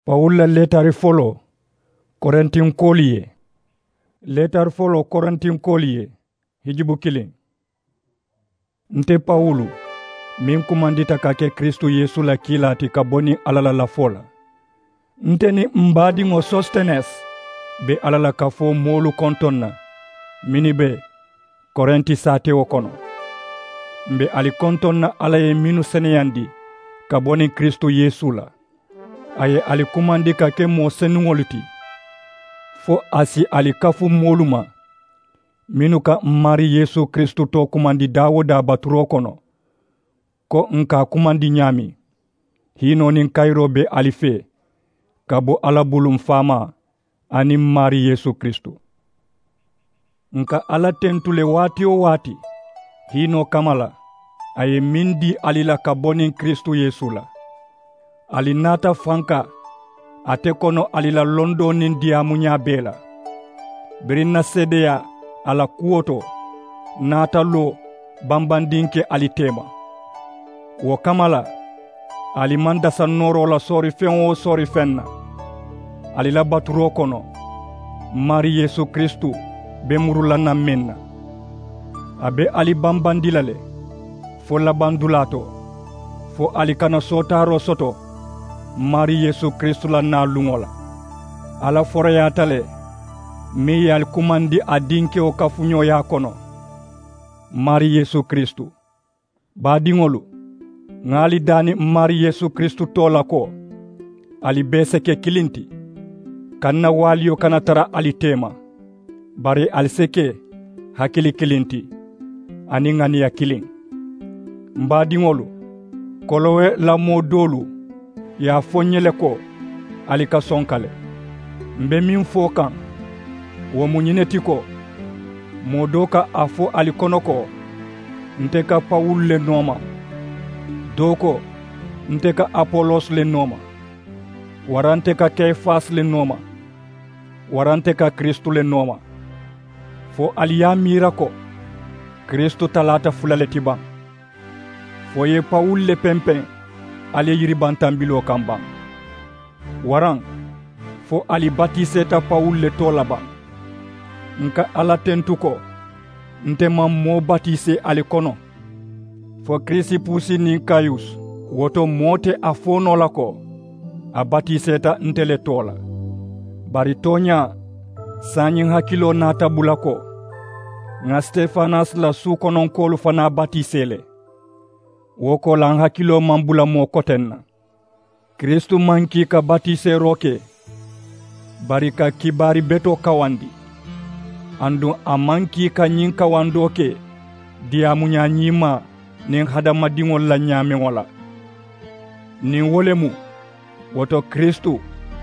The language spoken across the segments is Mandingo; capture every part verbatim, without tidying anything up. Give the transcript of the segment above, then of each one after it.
Pawulu la leetari foloo korintinkoolu ye. Leetari foloo korintinkoolu ye. Hijubu kiliŋ. Nte pawulu, meŋ kumandita ka ke kiristu yeesu la kiilaa ti ka bo niŋ alla la lafoo la, nte niŋ m baadiŋo sostenes be alla la kafoo moolu kontoŋ na, mennu be korinti saatewo kono. M be ali kontoŋ na alla ye mennu seneyandi ka bo niŋ kiristu yeesu la. A ye ali kumandi ka ke moo senuŋolu ti, fo a si ali kafu moolu ma mennu ka m maarii yeesu kiristu too kumandi daa-wo-daa baturoo kono, ko n ka a kumandi ñaameŋ. Hiinoo niŋ kayiroo be ali fee ka bo alla bulu, m faamaa aniŋ m maarii yeesu kiristu. N ka alla tentu le waati-wo-waati hiinoo kamma la a ye meŋ dii ali la ka bo niŋ kiristu yeesu la. Ali naata fanka ate kono ali la londoo niŋ diyaamuñaa bee la. Biriŋ n na seedeyaa a la kuwo to naata loo bambandinke ali teema. Wo kamma la, ali maŋ dasa nooroo la soori feŋ-wo-soori feŋ na. Ali la baturoo kono, m maarii yeesu kiristu be muru la naŋ meŋ na. A be ali bambandi la le fo labandulaa to, fo ali kana sootaaroo soto m maarii yeesu kiristu la naa luŋo la. Alla foroyaata le meŋ ye ali kumandi a dinkewo kafuñooyaa kono, m maarii yeesu kiristu. Baadiŋolu, ŋà ali daani m maarii yeesu kiristu too la ko, ali bee si ke kiliŋ ti. Kaŋ n na waaliyo kana tara ali teema, bari ali si ke hakili kiliŋ ti aniŋ ŋaniya kiliŋ. M baadiŋolu, kolowe la moo doolu ye a fo ǹ ye le ko, ali ka sonka le. M be meŋ fo kaŋ, wo mu ñiŋ ne ti ko, moo doo ka a fo ali kono ko, nte ka pawulu le nooma, doo ko, nte ka apolosi le nooma, waraŋ nte ka kefasi le nooma, waraŋ nte ka kiristu le nooma. Fo ali ye a miira ko kiristu talaata fula le ti baŋ? Fo i ye pawulu le pempeŋ ali ye yiribantambiloo kaŋ baŋ? Waraŋ fo ali batiiseeta pawulu le too la baŋ? N ka alla tentu ko, nte maŋ moo batiisee ali kono. Fo kirisipusi niŋ kayusi, wo to moo te a fo noo la ko, a batiiseeta nte le too la. Bari tooñaa, saayiŋ hakiloo naata bula ko, ŋà sitefanasi la suukononkoolu fanaa batiisee le. Wo koolaa n hakiloo maŋ bula moo koteŋ na. Kiristu maŋ kii ka batiiseeroo ke, bari ka kibaari betoo kawandi. Aduŋ a maŋ kii ka ñiŋ kawandoo ke diyaamuñaa ñiimaa niŋ hadamadiŋolu la ñaameŋo la. Niŋ wo le mu, wo to kiristu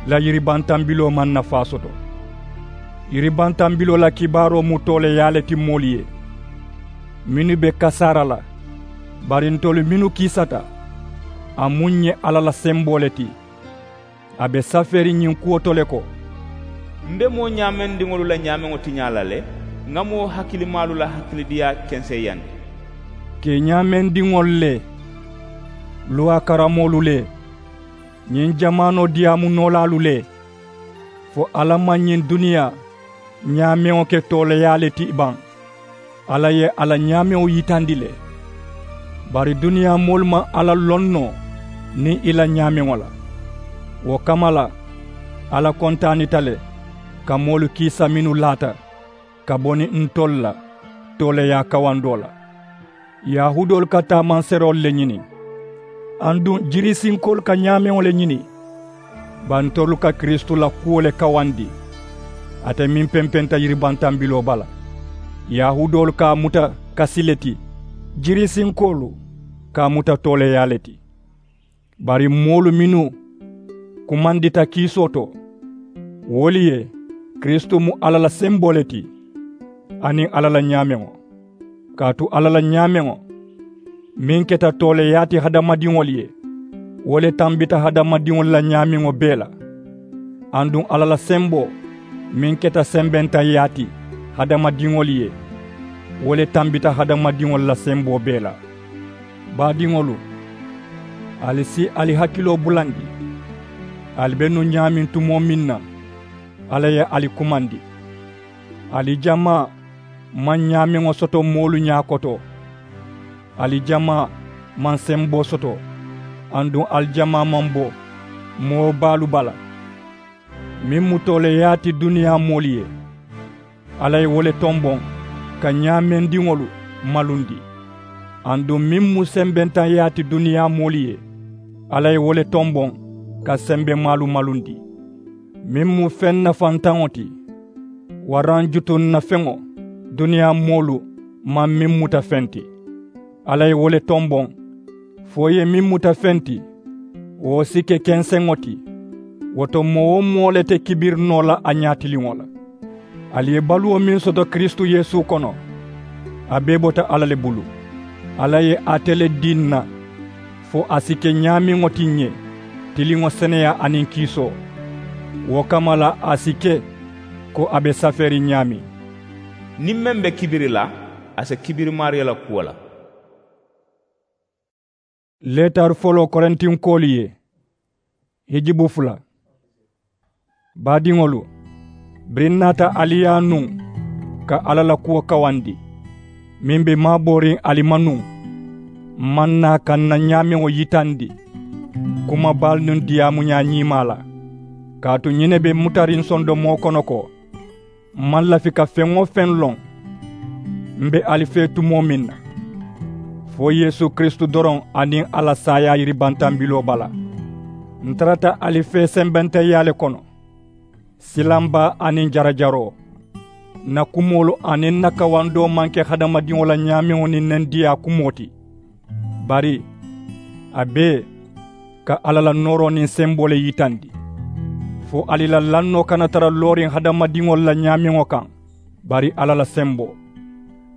la yiribantambiloo maŋ nafaa soto. Yiribantambiloo la kibaaroo mu tooleeyaa le ti moolu ye mennu be kasaara la. Bari ntolu mennu kiisata, a mu ǹ ye alla la semboo le ti. A be safeeriŋ ñiŋ kuwo to le ko, m be moo ñaamendiŋolu la ñaameŋo tiñaa la le, ŋà moo hakilimaalu la hakilidiyaa kenseeyandi. Keñaamendiŋolu le, luwaa karamoolu le, ñiŋ jamaanoo diyaamu noolaalu le, fo alla maŋ ñiŋ duniyaa ñaameŋo ke tooleeyaa le ti baŋ? Alla ye a la ñaameŋo yitandi le. Bari duniyaa moolu maŋ alla loŋ noo niŋ i la ñaameŋo la. Wo kamma la, alla kontaanita le ka moolu kiisa mennu laata ka bo niŋ ntolu la tooleeyaa kawandoo la. Yahuudoolu ka taamanseroolu le ñini, aduŋ jirisinkoolu ka ñaameŋo le ñini. Bari ntolu ka kiristu la kuwo le kawandi, ate meŋ pempenta yiribantambiloo bala. Yahuudoolu ka a muta kasi le ti, jirisinkoolu ka a muta tooleeyaa le ti. Bari moolu mennu kumandita kiisoo to, wolu ye kiristu mu alla la semboo le ti, aniŋ alla la ñaameŋo. Kaatu alla la ñaameŋo meŋ keta tooleeyaa ti hadamadiŋolu ye, wo le tambita hadamadiŋolu la ñaameŋo bee la. Aduŋ alla la semboo meŋ keta sembentaŋyaa ti hadamadiŋolu ye, wo le tambita hadamadiŋolu la semboo bee la. Baadiŋolu, ali si ali hakiloo bulandi. Ali be nuŋ ñaameŋ tumoo meŋ na, alla ye ali kumandi. Ali jamaa maŋ ñaameŋo soto moolu ñaakoto. Ali jamaa maŋ semboo soto, aduŋ ali jamaa maŋ bo moo baalu bala. Meŋ mu tooleeyaa ti duniyaa moolu ye, alla ye wo le tomboŋ ka ñaameŋ diŋolu malundi. Aduŋ meŋ mu sembentaŋyaa ti duniyaa moolu ye, alla ye wo le tomboŋ ka sembemaalu malundi. Meŋ mu feŋ nafantaŋo ti, waraŋ jutuŋ na feŋo duniyaa moolu maŋ meŋ muta feŋ ti, alla ye wo le tomboŋ fo i ye meŋ muta feŋ ti, wo si ke kenseŋo ti. Wo to moo-wo-moo le te kibiri noo la a ñaatiliŋo la. Ali ye baluwo meŋ soto kiristu yeesu kono, a bee bota alla le bulu. Alla ye ate le dii ǹ na fo a si ke ñaameŋo ti ǹ ye, tiliŋo seneyaa aniŋ kiisoo. Wo kamma la a si ke ko a be safeeriŋ ñaameŋ. Niŋ meŋ be kibiri la, a si kibiri maariyo la kuwo la. Leetari foloo korintinkoolu ye, hijibu fula. Baadiŋolu, biriŋ ǹ naata ali yaa nuŋ ka alla la kuwo kawandi, meŋ be maabooriŋ ali ma nuŋ, m maŋ naa ka ǹ na ñaameŋo yitandi kumabaalu niŋ diyaamuñaa ñiimaa la. Kaatu ñiŋ ne be mutariŋ sondomoo kono ko, m maŋ lafi ka feŋ-wo-feŋ loŋ m be ali fee tumoo meŋ na, fo yeesu kiristu doroŋ aniŋ a la saayaa yiribantambiloo bala. Ǹ tarata ali fee sembenteyaa le kono, silambaa aniŋ jarajaroo. Ǹ na kumoolu aniŋ ǹ na kawandoo maŋ ke hadamadiŋo la ñaameŋo niŋ nendiyaa kumoo ti, bari a bee ka alla la nooroo niŋ semboo le yitandi, fo ali la lannoo kana tara looriŋ hadamadiŋolu la ñaameŋo kaŋ, bari alla la semboo.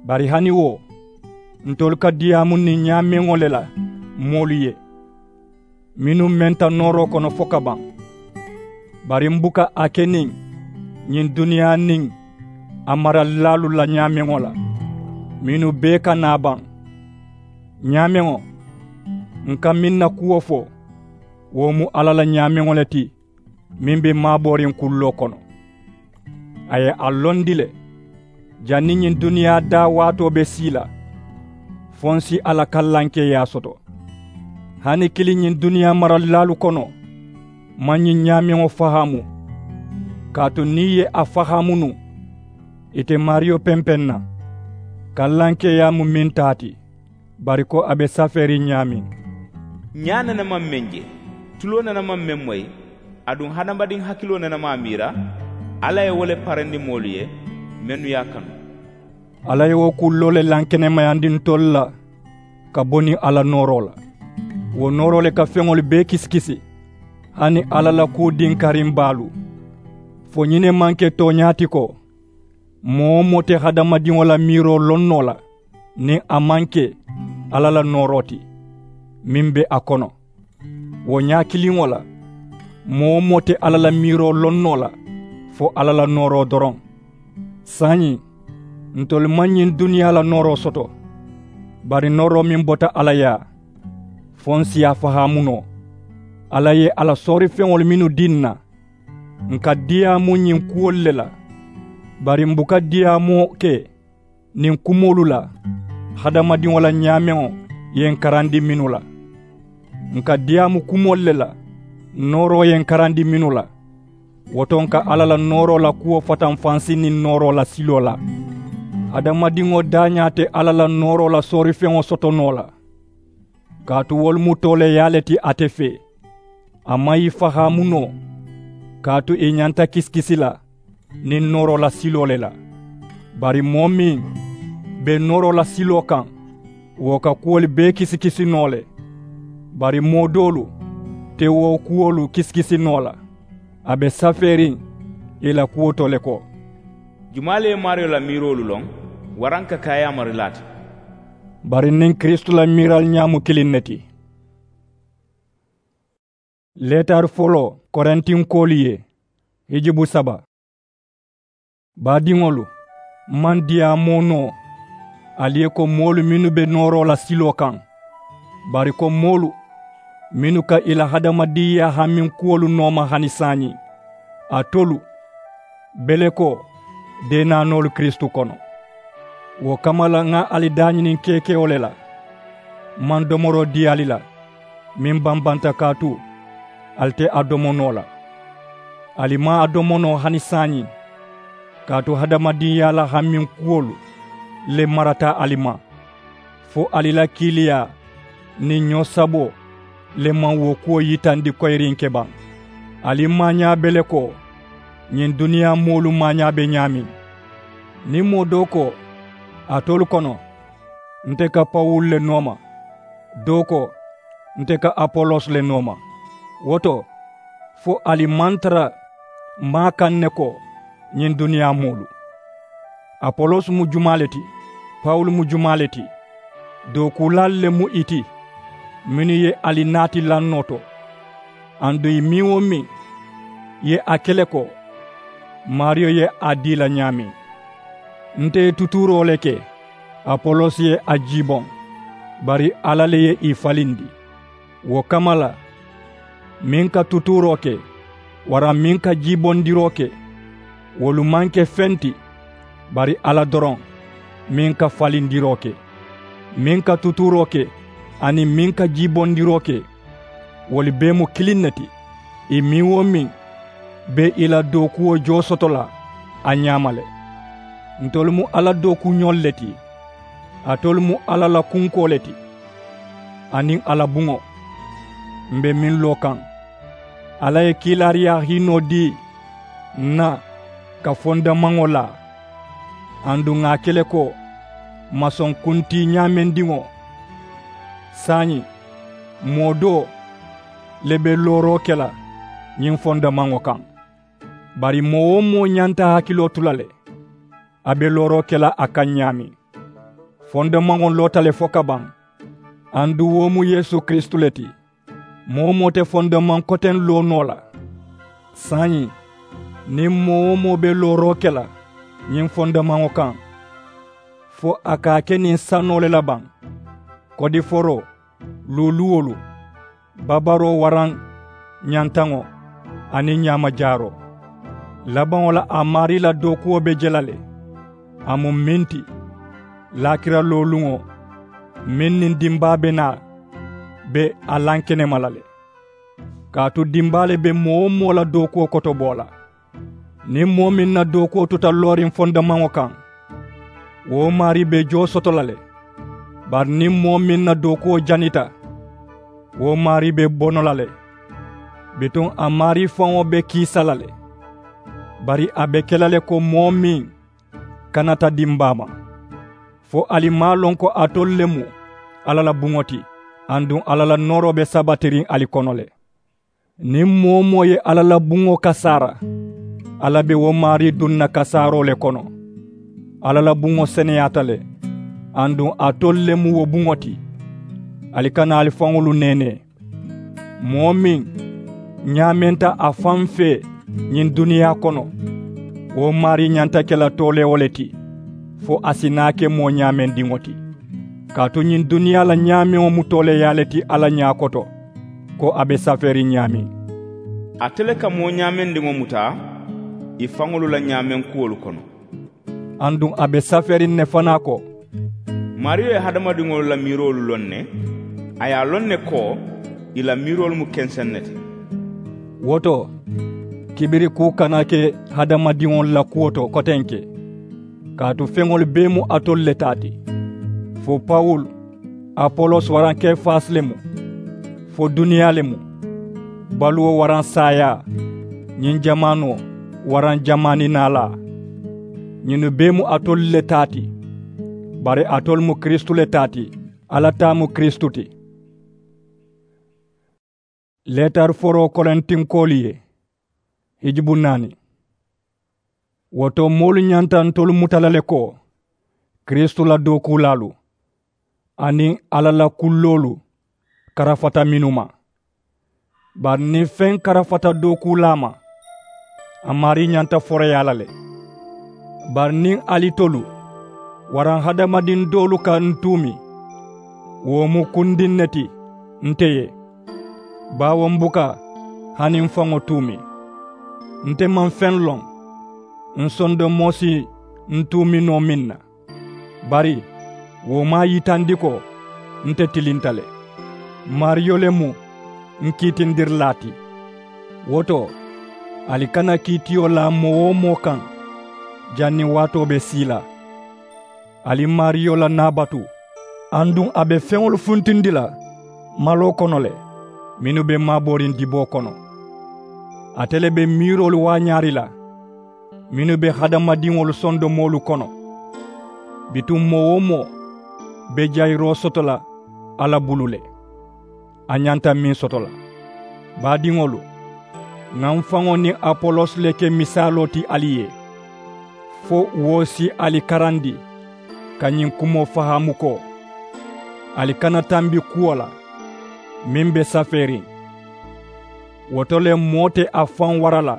Bari hani wo, ntolu ka diyaamu niŋ ñaameŋo le la moolu ye, mennu menta nooroo kono fokabaŋ. Bari m buka a ke niŋ ñiŋ duniyaa niŋ a maralilaalu la ñaameŋo la, mennu bee ka naa baŋ. Ñaameŋo, ǹ ka meŋ na kuwo fo, wo mu alla la ñaameŋo le ti, meŋ be maabooriŋ kulloo kono. A ye a londi le, janniŋ ñiŋ duniyaa daa waatoo be sii la, fo ǹ si a la kallankeeyaa soto. Hani kiliŋ ñiŋ duniyaa maralilaalu kono maŋ ñiŋ ñaameŋo fahaamu. Kaatu niŋ ì ye a fahaamu nuŋ, ì te maariyo pempeŋ na. Kallankeeyaa mu meŋ taa ti, bari ko a be safeeriŋ ñaameŋ. Ñaa nene maŋ meŋ je, tuloo nene maŋ meŋ moyi, aduŋ hadamadiŋ hakiloo nene maŋ a miira. Alla ye wo le parendi moolu ye, mennu ye a kanu. Alla ye wo kulloo le lankenemayandi ntolu la ka bo niŋ a la nooroo la. Wo nooroo le ka feŋolu bee kisikisi, hani alla la kuu dinkariŋ baalu. Fo ñiŋ ne maŋ ke tooñaa ti ko, moo-wo-moo te hadamadiŋo la miiroo loŋ noo la niŋ a maŋ ke alla la nooroo ti, meŋ be a kono. Wo ñaa kiliŋo la, moo-wo-moo te alla la miiroo loŋ noo la fo alla la nooroo doroŋ. Saayiŋ, ntolu maŋ ñiŋ duniyaa la nooroo soto, bari nooroo meŋ bota alla yaa, fo ǹ si a fahaamu noo. Alla ye a la soorifeŋolu mennu dii ǹ na, ǹ ka diyaamu ñiŋ kuwolu le la. Bari m buka diyaamoo ke niŋ kumoolu la, hadamadiŋo la ñaameŋo ye ǹ karandi mennu la. Ǹ ka diyaamu kumoolu le la, nooroo ye ǹ karandi mennu la. Wo to ǹ ka alla la nooroo la kuwo fatanfansi niŋ nooroo la siloo la. Hadamadiŋo daañaa te alla la nooroo la soorifeŋo soto noo la. Kaatu wolu mu tooleeyaa le ti ate fee. A maŋ ì fahaamu noo, kaatu ì ñanta kisikisi la niŋ nooroo la siloo le la. Bari moo meŋ be nooroo la siloo kaŋ, wo ka kuwolu bee kisikisi noo le. Bari moo doolu te wo kuwolu kisikisi noo la. A be safeeriŋ ì la kuwo to le ko, jumaa le ye maariyo la miiroolu loŋ? Waraŋ ka ke a yaamarilaa ti. Bari niŋ kiristu la miirali ñaa mu kiliŋ ne ti. Leetari foloo korintinkoolu ye, hijibu saba. Baadiŋolu, m maŋ diyaamoo noo ali ye ko moolu mennu be nooroo la siloo kaŋ, bari ko moolu mennu ka ì la hadamadinyaa haminkuwolu nooma hani saayiŋ, alitolu, belekoo, deenaanoolu kiristu kono. Wo kamma la ŋa ali daañiniŋ keekewo le la, m maŋ domoroo dii ali la, meŋ bambanta kaatu ali te a domo noo la. Ali maŋ a domo noo hani saayiŋ, kaatu hadamadinyaa la haminkuwolu le marata ali ma, fo ali la kiiliyaa niŋ ñoo saboo le maŋ wo kuwo yitandi koyiriŋ ke baŋ. Ali maañaa be le ko ñiŋ duniyaa moolu maañaa be ñaameŋ. Niŋ moo doo ko alitolu kono, nte ka pawulu le nooma, doo ko nte ka apolos le nooma, wo to fo ali maŋ tara maa kaŋ ne ko ñiŋ duniyaa moolu. Apolos mu jumaa le ti? Pawulu mu jumaa le ti? Dookuulaalu le mu ì ti mennu ye ali naati lannoo to. Aduŋ ì meŋ-wo-meŋ ye a ke le ko, maariyo ye a dii ì la ñaameŋ. Nte ye tutuuroo le ke, apolos ye a jiiboŋ, bari alla le ye ì falindi. Wo kamma la, meŋ ka tutuuroo ke waraŋ meŋ ka jiibondiroo ke, wolu maŋ ke feŋ ti, bari alla doroŋ meŋ ka falindiroo ke. Meŋ ka tutuuroo ke aniŋ meŋ ka jiibondiroo ke, wolu bee mu kiliŋ ne ti. Ì meŋ-wo-meŋ be ì la dookuwo joo soto la a ñaama le. Ntolu mu alla dookuñolu le ti, alitolu mu alla la kunkoo le ti, aniŋ a la buŋo. M be meŋ loo kaŋ, alla ye kiilaariyaa hiinoo dii ǹ na ka fondamaŋo laa, aduŋ ŋà a ke le ko masoŋ kuntii ñaamendiŋo. Saayiŋ, moo doo le be looroo ke la ñiŋ fondamaŋo kaŋ. Bari moo-wo-moo ñanta hakiloo tu la le, a be looroo ke la a kaŋ ñaameŋ. Fondamaŋo loota le fo ka baŋ, aduŋ wo mu yeesu kiristu le ti. Moo-wo-moo te fondamaŋ koteŋ loo noo la. Saayiŋ, niŋ moo-wo-moo be looroo ke la ñiŋ fondamaŋo kaŋ, fo a ka a ke niŋ sanoo le la baŋ, kodiforoo, luwuluwolu, babaroo waraŋ ñantaŋo, aniŋ ñaamajaaroo. Labaŋo la a maarii la dookuwo be je la le. A mu meŋ ti, laakira looluŋo meŋ niŋ dimbaa be naa be a lankenema la le. Kaatu dimbaa le be moo-wo-moo la dookuwo kotoboo la. Niŋ moo meŋ na dookuwo tuta looriŋ fondamaŋo kaŋ, wo maarii be joo soto la le. Bari niŋ moo meŋ na dookuwo janita, wo maarii be bono la le. Bituŋ a maarii faŋo be kiisa la le. Bari a be ke la le ko moo meŋ kanata dimbaa ma. Fo ali maŋ a loŋ ko alitolu le mu alla la buŋo ti, aduŋ alla la nooroo be sabatiriŋ ali kono le? Niŋ moo-wo-moo ye alla la buŋo kasaara, alla be wo maarii duŋ na kasaaroo le kono. Alla la buŋo seneyaata le, aduŋ alitolu le mu wo buŋo ti. Ali kana ali faŋolu neenee. Moo meŋ ñaamenta a faŋ fee ñiŋ duniyaa kono, wo maarii ñanta ke la tooleewo le ti, fo a si naa ke moo ñaamendiŋo ti. Kaatu ñiŋ duniyaa la ñaameŋo mu tooleeyaa le ti alla ñaa koto, ko a be safeeriŋ ñaameŋ. Ate le ka moo ñaamendiŋo muta ì faŋolu la ñaameŋ kuwolu kono. Aduŋ a be safeeriŋ ne fanaa ko, maariyo ye hadamadiŋolu la miiroolu loŋ ne, a ye a loŋ ne ko ì la miiroolu mu kenseŋ ne ti. Wo to, kibirikuu kana ke hadamadiŋolu la kuwo to kotenke. Kaatu feŋolu bee mu alitolu le taa ti. Fo pawulu, apolos waraŋ kefasi le mu? Fo duniyaa le mu? Baluwo waraŋ saayaa? Ñiŋ jamaanoo waraŋ jamaani naalaa? Ñinnu bee mu alitolu le taa ti. Bari alitolu mu kiristu le taa ti. Alla taa mu kiristu ti. Leetari foroo korintinkoolu ye, hijubu naani. Wo to moolu ñanta ntolu muta la le ko kiristu la dookuulaalu aniŋ alla la kulloolu karafata mennu ma. Bari niŋ feŋ karafata dookuulaa ma, a maarii ñanta foroyaa la le. Bari niŋ alitolu waraŋ hadamadiŋ doolu ka n tuumi, wo mu kundiŋ ne ti nte ye. Baawo m buka hani m faŋo tuumi. Nte maŋ feŋ loŋ. N sondomoo si n tuumi noo meŋ na. Bari wo maŋ a yitandi ko nte tilinta le. Maariyo le mu n kiitindirilaa ti. Wo to, ali kana kiitiyo laa moo-wo-moo kaŋ janniŋ waatoo be sii la. Ali maariyo la naa batu. Aduŋ a be feŋolu funtindi la maloo kono le mennu be maabooriŋ diboo kono. Ate le be miiroolu waañaari la mennu be hadamadiŋolu sondomoolu kono. Bituŋ moo-wo-moo be jayiroo soto la alla bulu le. A ñanta meŋ soto la. Baadiŋolu, ŋà m faŋo niŋ apolos le ke misaaloo ti ali ye, fo wo si ali karandi ka ñiŋ kumoo fahaamu ko, ali kana tambi kuwo la meŋ be safeeriŋ. Wo to le moo te a faŋ wara la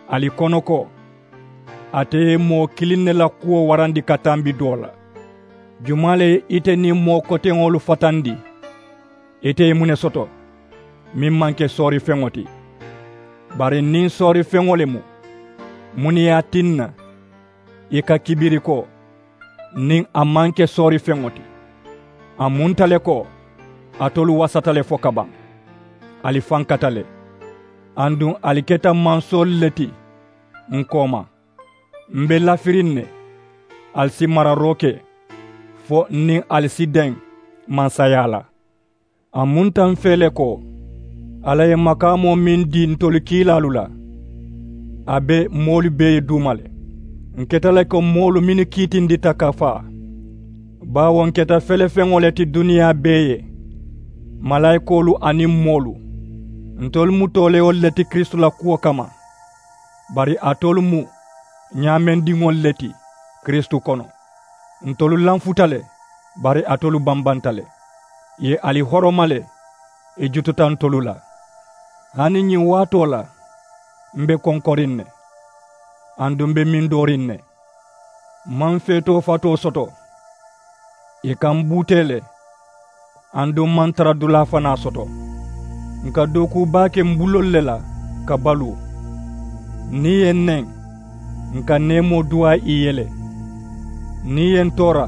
ali kono ko, ate ye moo kiliŋ ne la kuwo warandi ka tambi doo la. Jumaa le ye ite niŋ moo koteŋolu fatandi? Ite ye muŋ ne soto meŋ maŋ ke soorifeŋo ti? Bari niŋ soorifeŋo le mu, muŋ ne ye a tinna i ka kibiri ko niŋ a maŋ ke soorifeŋo ti? A munta le ko alitolu wasata le fo ka baŋ. Ali fankata le. Aduŋ ali keta mansoolu le ti n kooma. M be lafiriŋ ne ali si mararoo ke fo niŋ ali si deŋ mansayaa la. A munta m fee le ko alla ye makaamoo meŋ dii ntolu kiilaalu la, a be moolu bee ye duuma le. N keta le ko moolu mennu kiitindita ka faa. Baawo n keta felefeŋo le ti duniyaa bee ye, malaayikoolu aniŋ moolu. Ntolu mu tooleyolu le ti kiristu la kuwo kamma. Bari alitolu mu ñaamendiŋolu le ti kiristu kono. Ntolu lanfuta le, bari alitolu bambanta le. Ì ye ali horoma le, ì jututa ntolu la. Hani ñiŋ waatoo la m be konkoriŋ ne, aduŋ m be mindooriŋ ne. M maŋ feetoo fatoo soto. Ì ka m buutee le, aduŋ m maŋ tara dulaa fanaa soto. N ka dookuu baa ke m buloolu le la ka baluu. Niŋ ì ye n neŋ, n ka neemoo duwaa ì ye le. Niŋ ì ye n toora,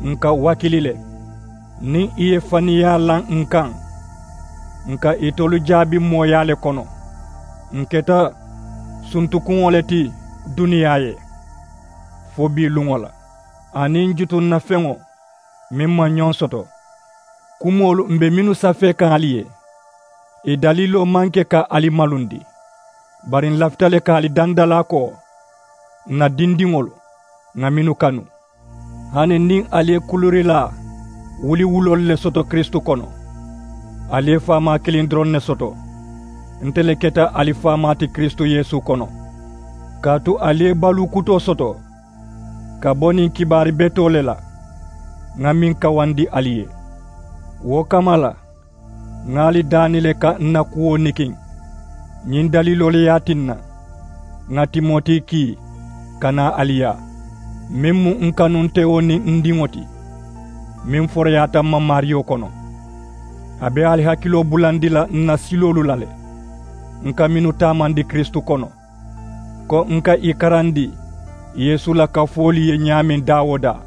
n ka wakili le. Niŋ ì ye faniyaa laŋ n kaŋ, n ka itolu jaabi mooyaa le kono. N keta suntukuŋo le ti duniyaa ye fo bii luŋo la, aniŋ jutunnafeŋo meŋ maŋ ñoŋ soto. Kumoolu m be mennu safee kaŋ ali ye, ì daliiloo maŋ ke ka ali malundi. Bari n lafita le ka ali dandalaa ko, n na dindiŋolu, ŋà mennu kanu. Hani niŋ ali ye kuluurilaa wuliwuloolu le soto kiristu kono, ali ye faamaa kiliŋ doroŋ ne soto. Nte le keta ali faamaa ti kiristu yeesu kono, kaatu ali ye baluu kutoo soto ka bo niŋ kibaari betoo le la, ŋà meŋ kawandi ali ye. Wo kamma la, ŋà ali daani le ka n na kuwo nikiŋ. Ñiŋ daliiloo le ye a tinna ŋà timoti kii ka naa ali yaa, meŋ mu n kanuntewo niŋ n diŋo ti, meŋ foroyaata m ma maariyo kono. A be ali hakiloo bulandi la n na siloolu la le, n ka mennu taamandi kiristu kono, ko n ka ì karandi yeesu la kafoolu ye ñaameŋ daa-wo-daa.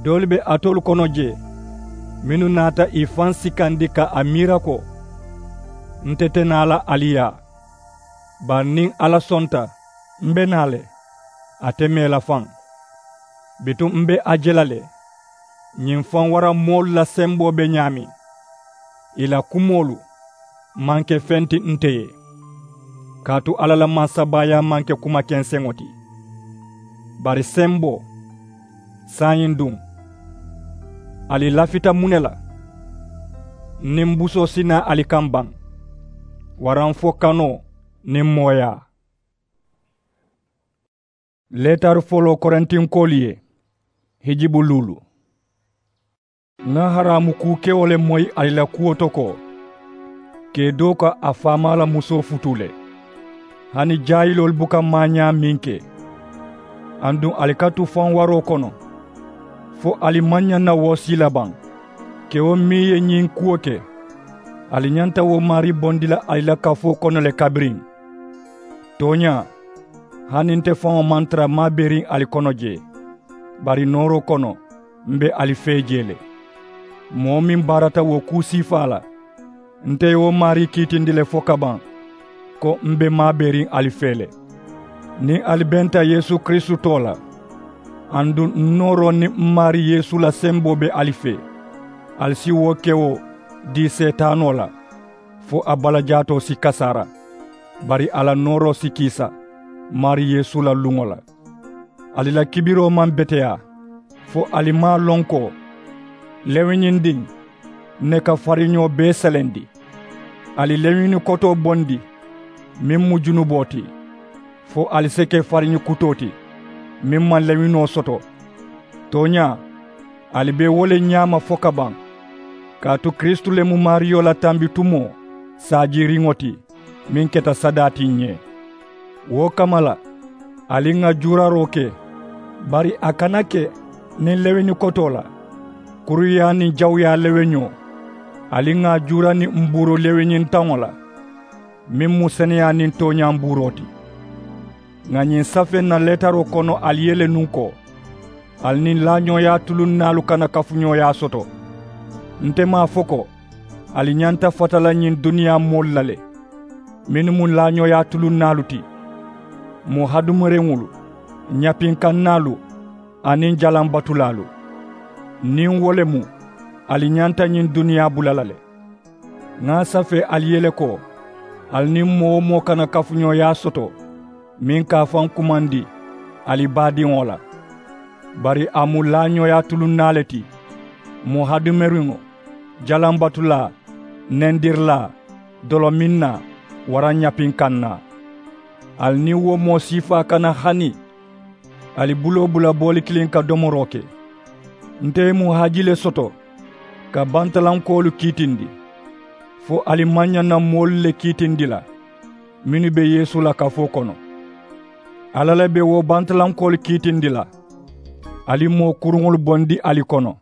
Doolu be alitolu kono jee mennu naata ì faŋ sikandi ka a miira ko nte te naa la ali yaa. Bari niŋ alla sonta m be naa le, ate mee la faŋ. Bituŋ m be a je la le, ñiŋ faŋ wara moolu la semboo be ñaameŋ. Ì la kumoolu maŋ ke feŋ ti nte ye, kaatu alla la mansabaayaa maŋ ke kuma kenseŋo ti. Bari semboo, saayiŋ duŋ, ali lafita muŋ ne la? Niŋ busoo si naa ali kaŋ baŋ, waraŋ fo kanoo niŋ mooyaa. Leetari foloo korintinkoolu ye, hijibu luulu. Ŋà haraamu kuu kewo le moyi ali la kuwo to ko, kee doo ka a faamaa la musoo futuu le. Hani jaayiloolu buka maañaa meŋ ke, aduŋ ali ka tu faŋ waroo kono, fo ali maŋ ñaŋ na wo sii la baŋ? Kewo meŋ ye ñiŋ kuwo ke, Ali ñanta wo maarii bondi la ali la kafoo kono le kabiriŋ. Tooñaa, hani nte faŋo maŋ tara maaberiŋ ali kono jee, bari nooroo kono, m̀ be ali fee jee le. Moo meŋ baarata wo kuu siifaa la, nte ye wo maarii kiitindi le fokabaŋ, ko m̀ be maaberiŋ ali fee le. Niŋ ali benta yeesu kiristu too la, aduŋ n nooroo niŋ m maarii yeesu la semboo be ali fee, ali si wo ke wo dii seetaanoo la, fo a balajaatoo si kasaara, bari a la nooroo si kiisa maarii yeesu la luŋo la. Ali la kibiroo maŋ beteyaa, fo ali maŋ a loŋ ko lewiñindiŋ ne ka fariñoo bee selendi. Ali lewiñini kotoo bondi, meŋ mu junuboo ti, fo ali si ke fariñi kutoo ti, meŋ maŋ lewiñoo soto. Tooñaa, ali be wo le ñaama fokabaŋ, kaatu kiristu le mu maariyo la tambitumoo saajiiriŋo ti, meŋ keta sadaa ti ǹ ye. Wo kamma la, ali ŋà juuraroo ke, bari a kana ke niŋ lewiñi kotoo la, kuruyaa niŋ jawuyaa lewiñoo. Ali ŋà a juura niŋ mbuuru lewiñintaŋo la, meŋ mu seneyaa niŋ tooñaa mbuuroo ti. Ŋà ñiŋ safee ǹ na leetaroo kono ali ye le nuŋ ko, ali niŋ laañooyaa tulunnaalu kana kafuñooyaa soto. Nte maŋ a fo ko ali ñanta fata la ñiŋ duniyaa moolu la le, mennu mu laañooyaa tulunnaalu ti, moo hadamariŋolu, ñapinkannaalu, aniŋ jalambatulaalu. Niŋ wo le mu, ali ñanta ñiŋ duniyaa bula la le. Ŋà a safee ali ye le ko, ali niŋ moo-wo-moo kana kafuñooyaa soto, meŋ ka a faŋ kumandi ali baadiŋo la. Bari a mu laañooyaa tulunnaa le ti, moo hadamariŋo, jalambatulaa, nendirilaa, dolominnaa, waraŋ ñapinkannaa. Ali niŋ wo moo siifaa kana hani ali buloo bula booli kiliŋ ka domoroo ke. Nte mu haaji le soto ka bantalankoolu kiitindi, fo ali maŋ ñaŋ na moolu le kiitindi la, mennu be yeesu la kafoo kono. Alla le be wo bantalankoolu kiitindi la. Ali moo kuruŋolu bondi ali kono.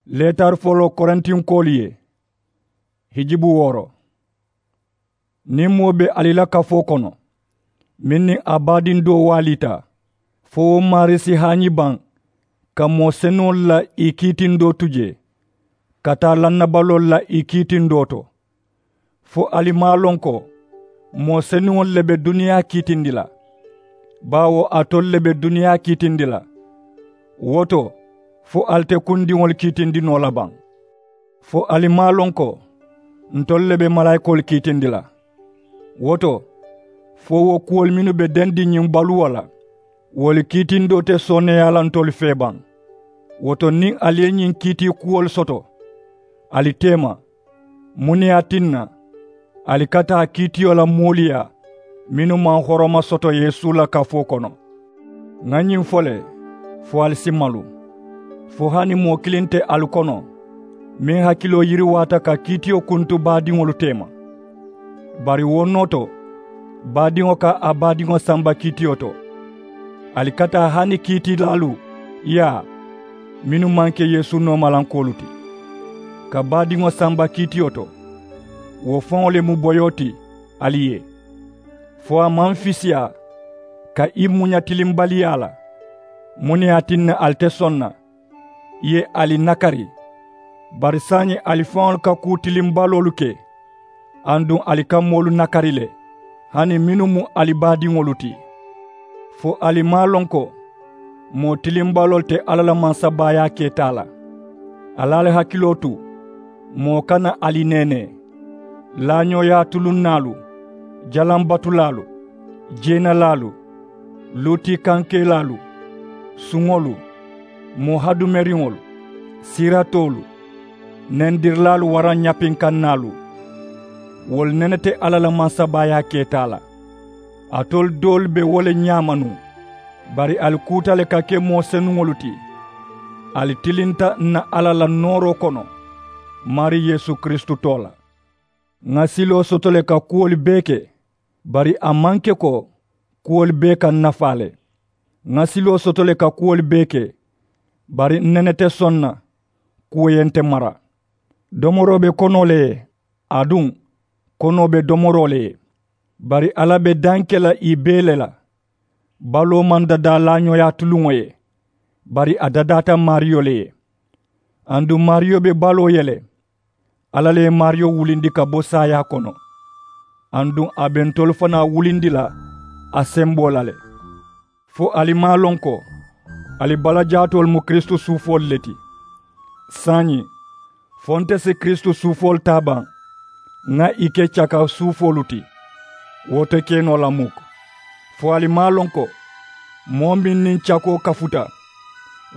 Leetari foloo korintinkoolu ye, hijibu wooro. Niŋ moo be ali la kafoo kono, meŋ niŋ a baadiŋ doo waaliita, fo wo maarii si haañi baŋ ka moo senuŋolu la ì kiitindoo tu jee, ka taa lannabaloolu la ì kiitindoo to. Fo ali maŋ a loŋ ko moo senuŋolu le be duniyaa kiitindi la, baawo alitolu le be duniyaa kiitindi la. Wo to, fo ali te kundiŋolu kiitindi noo la baŋ? Fo ali maŋ a loŋ ko ntolu le be malaayikoolu kiitindi la? Wo to, fo wo kuwolu mennu be dendiŋ ñiŋ baluwo la, wolu kiitindoo te sooneeyaa la ntolu fee baŋ. Wo to, niŋ ali ye ñiŋ kiitii kuwolu soto, ali teema, muŋ ne ye a tinna ali ka taa kiitiyo la moolu yaa, mennu maŋ horoma soto yeesu la kafoo kono? Ŋà ñiŋ fo le, fo ali si malu, fo hani moo kiliŋ te ali kono meŋ hakiloo yiriwaata ka kiitiyo kuntu baadiŋolu teema. Bari wo noo to, baadiŋo ka a baadiŋo samba kiitiyo to. Ali ka taa hani kiitilaalu yaa, mennu maŋ ke yeesu noomalankoolu ti, ka baadiŋo samba kiitiyo to. Wo faŋo le mu boyoo ti ali ye, fo a maŋ fisiyaa ka i muña tilimbaliyaa la. Muŋ ne ye a tinna ali te soŋ na? I ye ali nakari. Bari saayiŋ ali faŋolu ka kuu tilimbaloolu ke, aduŋ ali ka moolu nakari le, hani mennu mu ali baadiŋolu ti. Fo ali maŋ a loŋ ko moo tilimbaloolu te alla la mansabaayaa keetaa la? Ali ali hakiloo tu, moo kana ali neenee. Laañooyaa tulunnaalu, jalambatulaalu, jeenalaalu, luutiikankeelaalu, suŋolu, moo hadumeriŋolu, siiratoolu, nendirilaalu waraŋ ñapinkannaalu, wolu nene te alla la mansabaayaa keetaa la. Alitolu doolu be wo le ñaama nuŋ. Bari ali kuuta le ka ke moo senuŋolu ti. Ali tilinta ǹ na alla la nooroo kono, maarii yeesu kiristu too la. Ŋà siloo soto le ka kuwolu bee ke, bari a maŋ ke ko kuwolu bee ka ǹ nafaa le. Ŋà siloo soto le ka kuwolu bee ke, bari ǹ nene te soŋ na, kuwo ye nte mara. Domoroo be konoo le ye, aduŋ konoo be domoroo le ye. Bari alla be daŋ ke la ì bee le la. Baloo maŋ dadaa laañooyaa tuluŋo ye, bari a dadaata maariyo le ye. Aduŋ maariyo be baloo ye le. Alla le ye maariyo wulindi ka bo saayaa kono. Aduŋ a be ntolu fanaa wulindi la a semboo la le. Fo ali maŋ a loŋ ko ali balajaatoolu mu kiristu suufoolu le ti? Saayiŋ, fo nte si kiristu suufoolu taa baŋ ŋà ì ke caka suufoolu ti? Wo te ke noo la mukku. Fo ali maŋ a loŋ ko moo meŋ niŋ cakoo kafuta,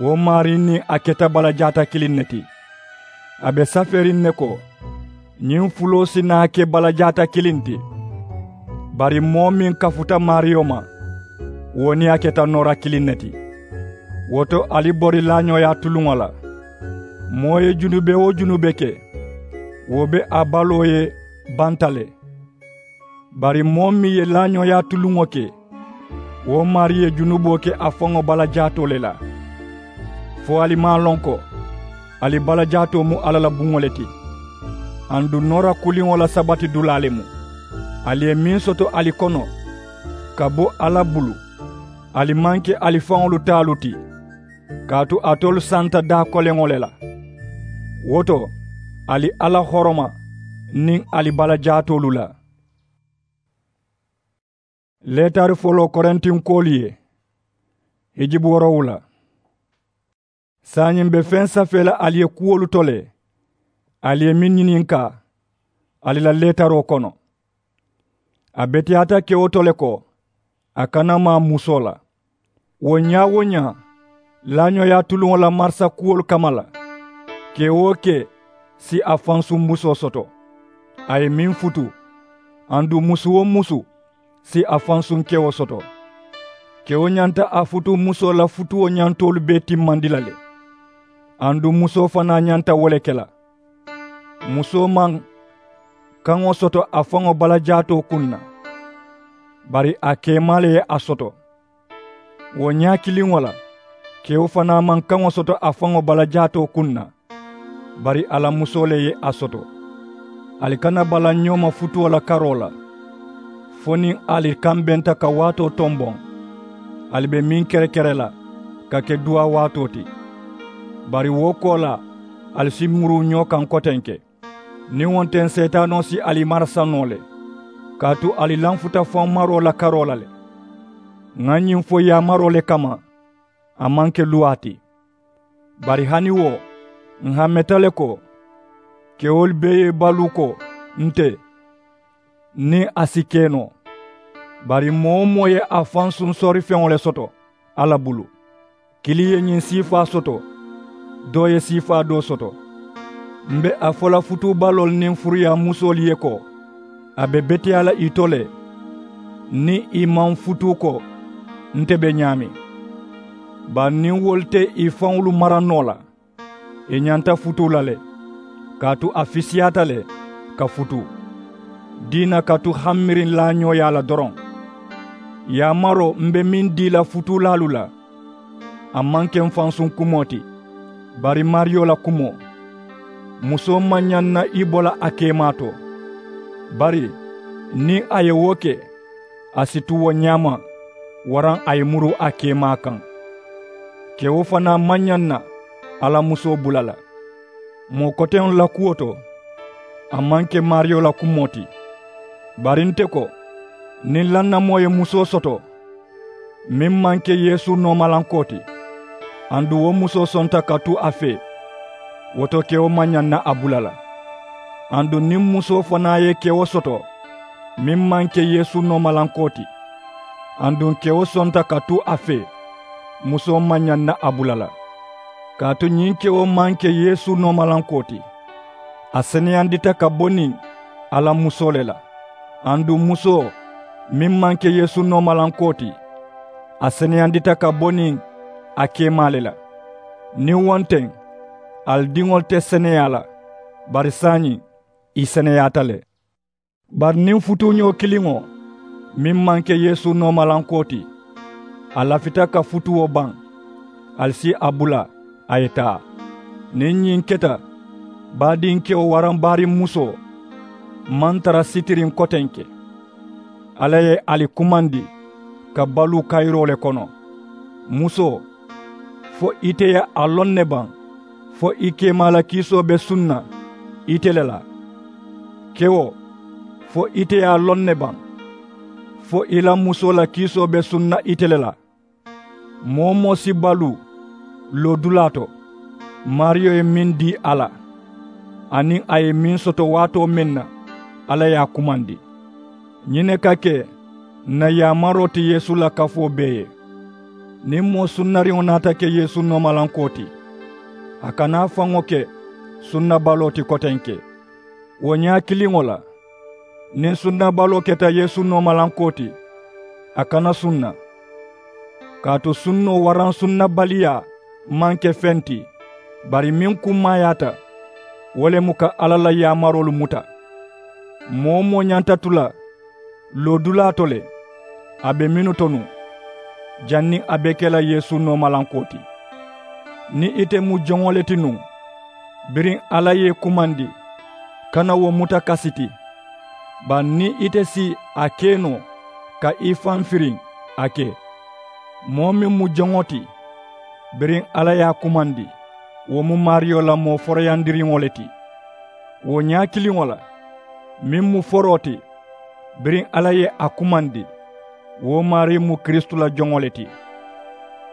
wo maarii niŋ a keta balajaata kiliŋ ne ti? A be safeeriŋ ne ko ñiŋ fuloo si naa ke balajaata kiliŋ ti. Bari moo meŋ kafuta maariyo ma, wo niŋ a keta noora kiliŋ ne ti. Wo to ali bori laañooyaa tuluŋo la. Moo ye junube-wo-junube ke, wo be a baloo ye banta le. Bari moo meŋ ye laañooyaa tuluŋo ke, wo maarii ye junuboo ke a faŋo balajaatoo le la. Fo ali maŋ a loŋ ko ali balajaatoo mu alla la buŋo le ti? Aduŋ noora kuliŋo la sabati dulaa le mu. Ali ye meŋ soto ali kono ka bo alla bulu, ali maŋ ke ali faŋolu taalu ti, kaatu alitolu santa daa koleŋo le la. Wo to, ali alla horoma niŋ ali balajaatoolu la. Leetari foloo korintinkoolu ye. Hijibu woorowula. Saayiŋ m̀ be feŋ safee la ali ye kuwolu to le, ali ye meŋ ñininkaa ali la leetaroo kono. A beteyaata kewo to le ko a kana maa musoo la. Wo ñaa-wo-ñaa laañooyaa tuluŋo la marisa kuwolu kamma la, kee-wo-kee si a fansuŋ musoo soto a ye meŋ futu. Aduŋ musu-wo-musu si a fansuŋ kewo soto. Kewo ñanta a futuu musoo la futuwo ñantoolu bee timmandi la le. Aduŋ musoo fanaa ñanta wo le ke la. Musoo maŋ kaŋo soto a faŋo balajaatoo kuŋ na, bari a keemaa le ye a soto. Wo ñaa kiliŋo la, kewo fanaa maŋ kaŋo soto a faŋo balajaatoo kuŋ na, bari a la musoo le ye a soto. Ali kana balaŋ ñoo ma futuwo la karoo la, fo niŋ ali kambenta ka waatoo tomboŋ, ali be meŋ kerekere la ka ke duwaa waatoo ti. Bari wo koolaa ali si muruu ñoo kaŋ kotenke. Niŋ wo nte seetaanoo si ali marasa noo le, kaatu ali lanfuta faŋ maroo la karoo la le. Ŋà ñiŋ fo yaamaroo le kamma, a maŋ ke luwaa ti. Bari hani wo, ǹ hammeta le ko kewolu bee ye baluu ko nte niŋ a si ke noo. Bari moo-wo-moo ye a fansuŋ soorifeŋo le soto alla bulu. Kiliŋ ye ñiŋ siifaa soto, doo ye siifaa doo soto. M̀ be a fo la futuubaloolu niŋ furuyaa musoolu ye ko a be beteyaa la ì to le, niŋ ì maŋ futuu ko nte be ñaameŋ. Bari niŋ wolu te ì faŋolu mara noo la, ì ñanta futuu la le, kaatu a fisiyaata le ka futuu diina ka tu hammiriŋ laañooyaa la doroŋ. Yaamaroo m̀ be meŋ dii la futuulaalu la, a maŋ ke m̀ fansuŋ kumoo ti, bari maariyo la kumoo. Musoo maŋ ñaŋ na i bo la a keemaa to, bari niŋ a ye wo ke, a si tu wo ñaama waraŋ a ye muruu a keemaa kaŋ. Kewo fanaa maŋ ñaŋ na a la musoo bula la. Moo koteŋolu la kuwo to, a maŋ ke maariyo la kumoo ti. Bari nte ko, niŋ lannamoo ye musoo soto meŋ maŋ ke yeesu noomalankoo ti, aduŋ wo musoo sonta ka tu a fee, wo to kewo maŋ ñaŋ na a bula la. Aduŋ niŋ musoo fanaa ye kewo soto meŋ maŋ ke yeesu noomalankoo ti, aduŋ kewo sonta ka tu a fee, musoo maŋ ñaŋ na a bula la. Kaatu ñiŋ kewo maŋ ke yeesu noomalankoo ti, a seneyandita ka bo niŋ a la musoo le la. Aduŋ musoo meŋ maŋ ke yeesu noomalankoo ti, a seneyandita ka bo niŋ a keemaa le la. Niŋ wo nteŋ, ali diŋolu te seneyaa la, bari saayiŋ ì seneyaata le. Bari niŋ futuuñoo kiliŋo meŋ maŋ ke yeesu noomalankoo ti, a lafita ka futuwo baŋ, ali si a bula a ye taa. Niŋ ñiŋ keta, Baadinkewo waraŋ baariŋ musoo maŋ tara sitiriŋ kotenke. Alla ye ali kumandi ka baluu kayiroo le kono. Musoo, fo ite ye a loŋ ne baŋ fo i keemaa la kiisoo be sunna ite le la? Kewo, fo ite ye a loŋ ne baŋ fo i la musoo la kiisoo be sunna ite le la? Moo-wo-moo si baluu loodulaa to, maariyo ye meŋ dii a la, aniŋ a ye meŋ soto waatoo meŋ na, alla ye a kumandi. Ñiŋ ne ka ke ǹ na yaamaroo ti yeesu la kafoo bee ye. Niŋ moo sunnariŋo naata ke yeesu noomalankoo ti, a kana a faŋo ke sunnabaloo ti kotenke. Wo ñaa kiliŋo la, niŋ sunnabaloo keta yeesu noomalankoo ti, a kana sunna. Kaatu sunnoo waraŋ sunnabaliyaa maŋ ke feŋ ti, bari meŋ kummaayaata, wo le mu ka alla la yaamaroolu muta. Moo-wo-moo ñanta tu la loodulaa to le, a be mennu to nuŋ, janniŋ a be ke la yeesu noomalankoo ti. Niŋ ite mu joŋo le ti nuŋ, biriŋ alla ye i kumandi, kana wo muta kasi ti. Bari niŋ ite si a ke noo ka i faŋ firiŋ, a ke. Moo meŋ mu joŋo ti, biriŋ alla ye a kumandi, wo mu maariyo la moo forooyandiriŋo le ti. Wo ñaa kiliŋo la, meŋ mu foroo ti, biriŋ alla ye a kumandi, wo maarii mu kiristu la joŋo le ti.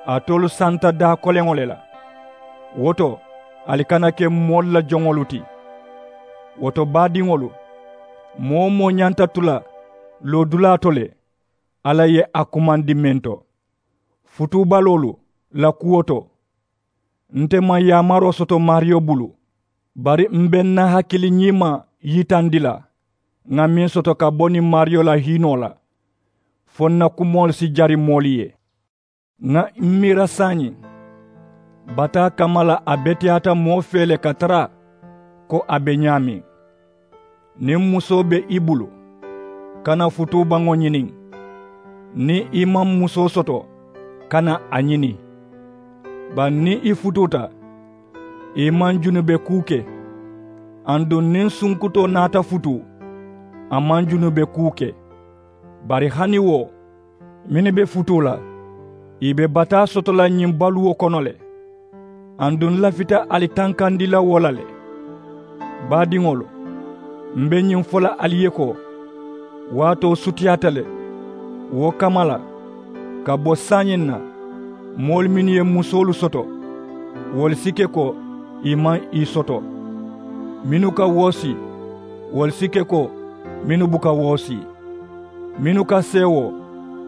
Alitolu santa daa koleŋo le la. Wo to, ali kana ke moolu la joŋolu ti. Wo to, baadiŋolu, moo-wo-moo ñanta tu la loodulaa to le, alla ye a kumandi meŋ to, futuubaloolu la kuwo to. Nte maŋ yaamaroo soto maariyo bulu, bari m be n na hakili ñiima yitandi la ŋà meŋ soto ka bo niŋ maariyo la hiinoo la, fo n na kumoolu si jari moolu ye. Ŋà m miira saayiŋ, bataa kamma la a beteyaata moo fee le ka tara ko a be ñaameŋ. Niŋ musoo be i bulu, kana futuubaŋo ñini. Niŋ i maŋ musoo soto, kana a ñini. Bari niŋ i futuuta, i maŋ junube kuu ke. Aduŋ niŋ sunkutoo naata futuu, a maŋ junube kuu ke. Bari hani wo, mennu be futuu la, ì be bataa soto la ñiŋ baluwo kono le. Aduŋ n lafita ali tankandi la wo la le. Baadiŋolu, m be ñiŋ fo la ali ye ko, waatoo sutiyaata le. Wo kamma la, ka bo saayiŋ na, moolu mennu ye musoolu soto, wolu si ke ko ì maŋ ì soto. Mennu ka woosii, wolu si ke ko mennu buka woosii. Mennu ka seewoo,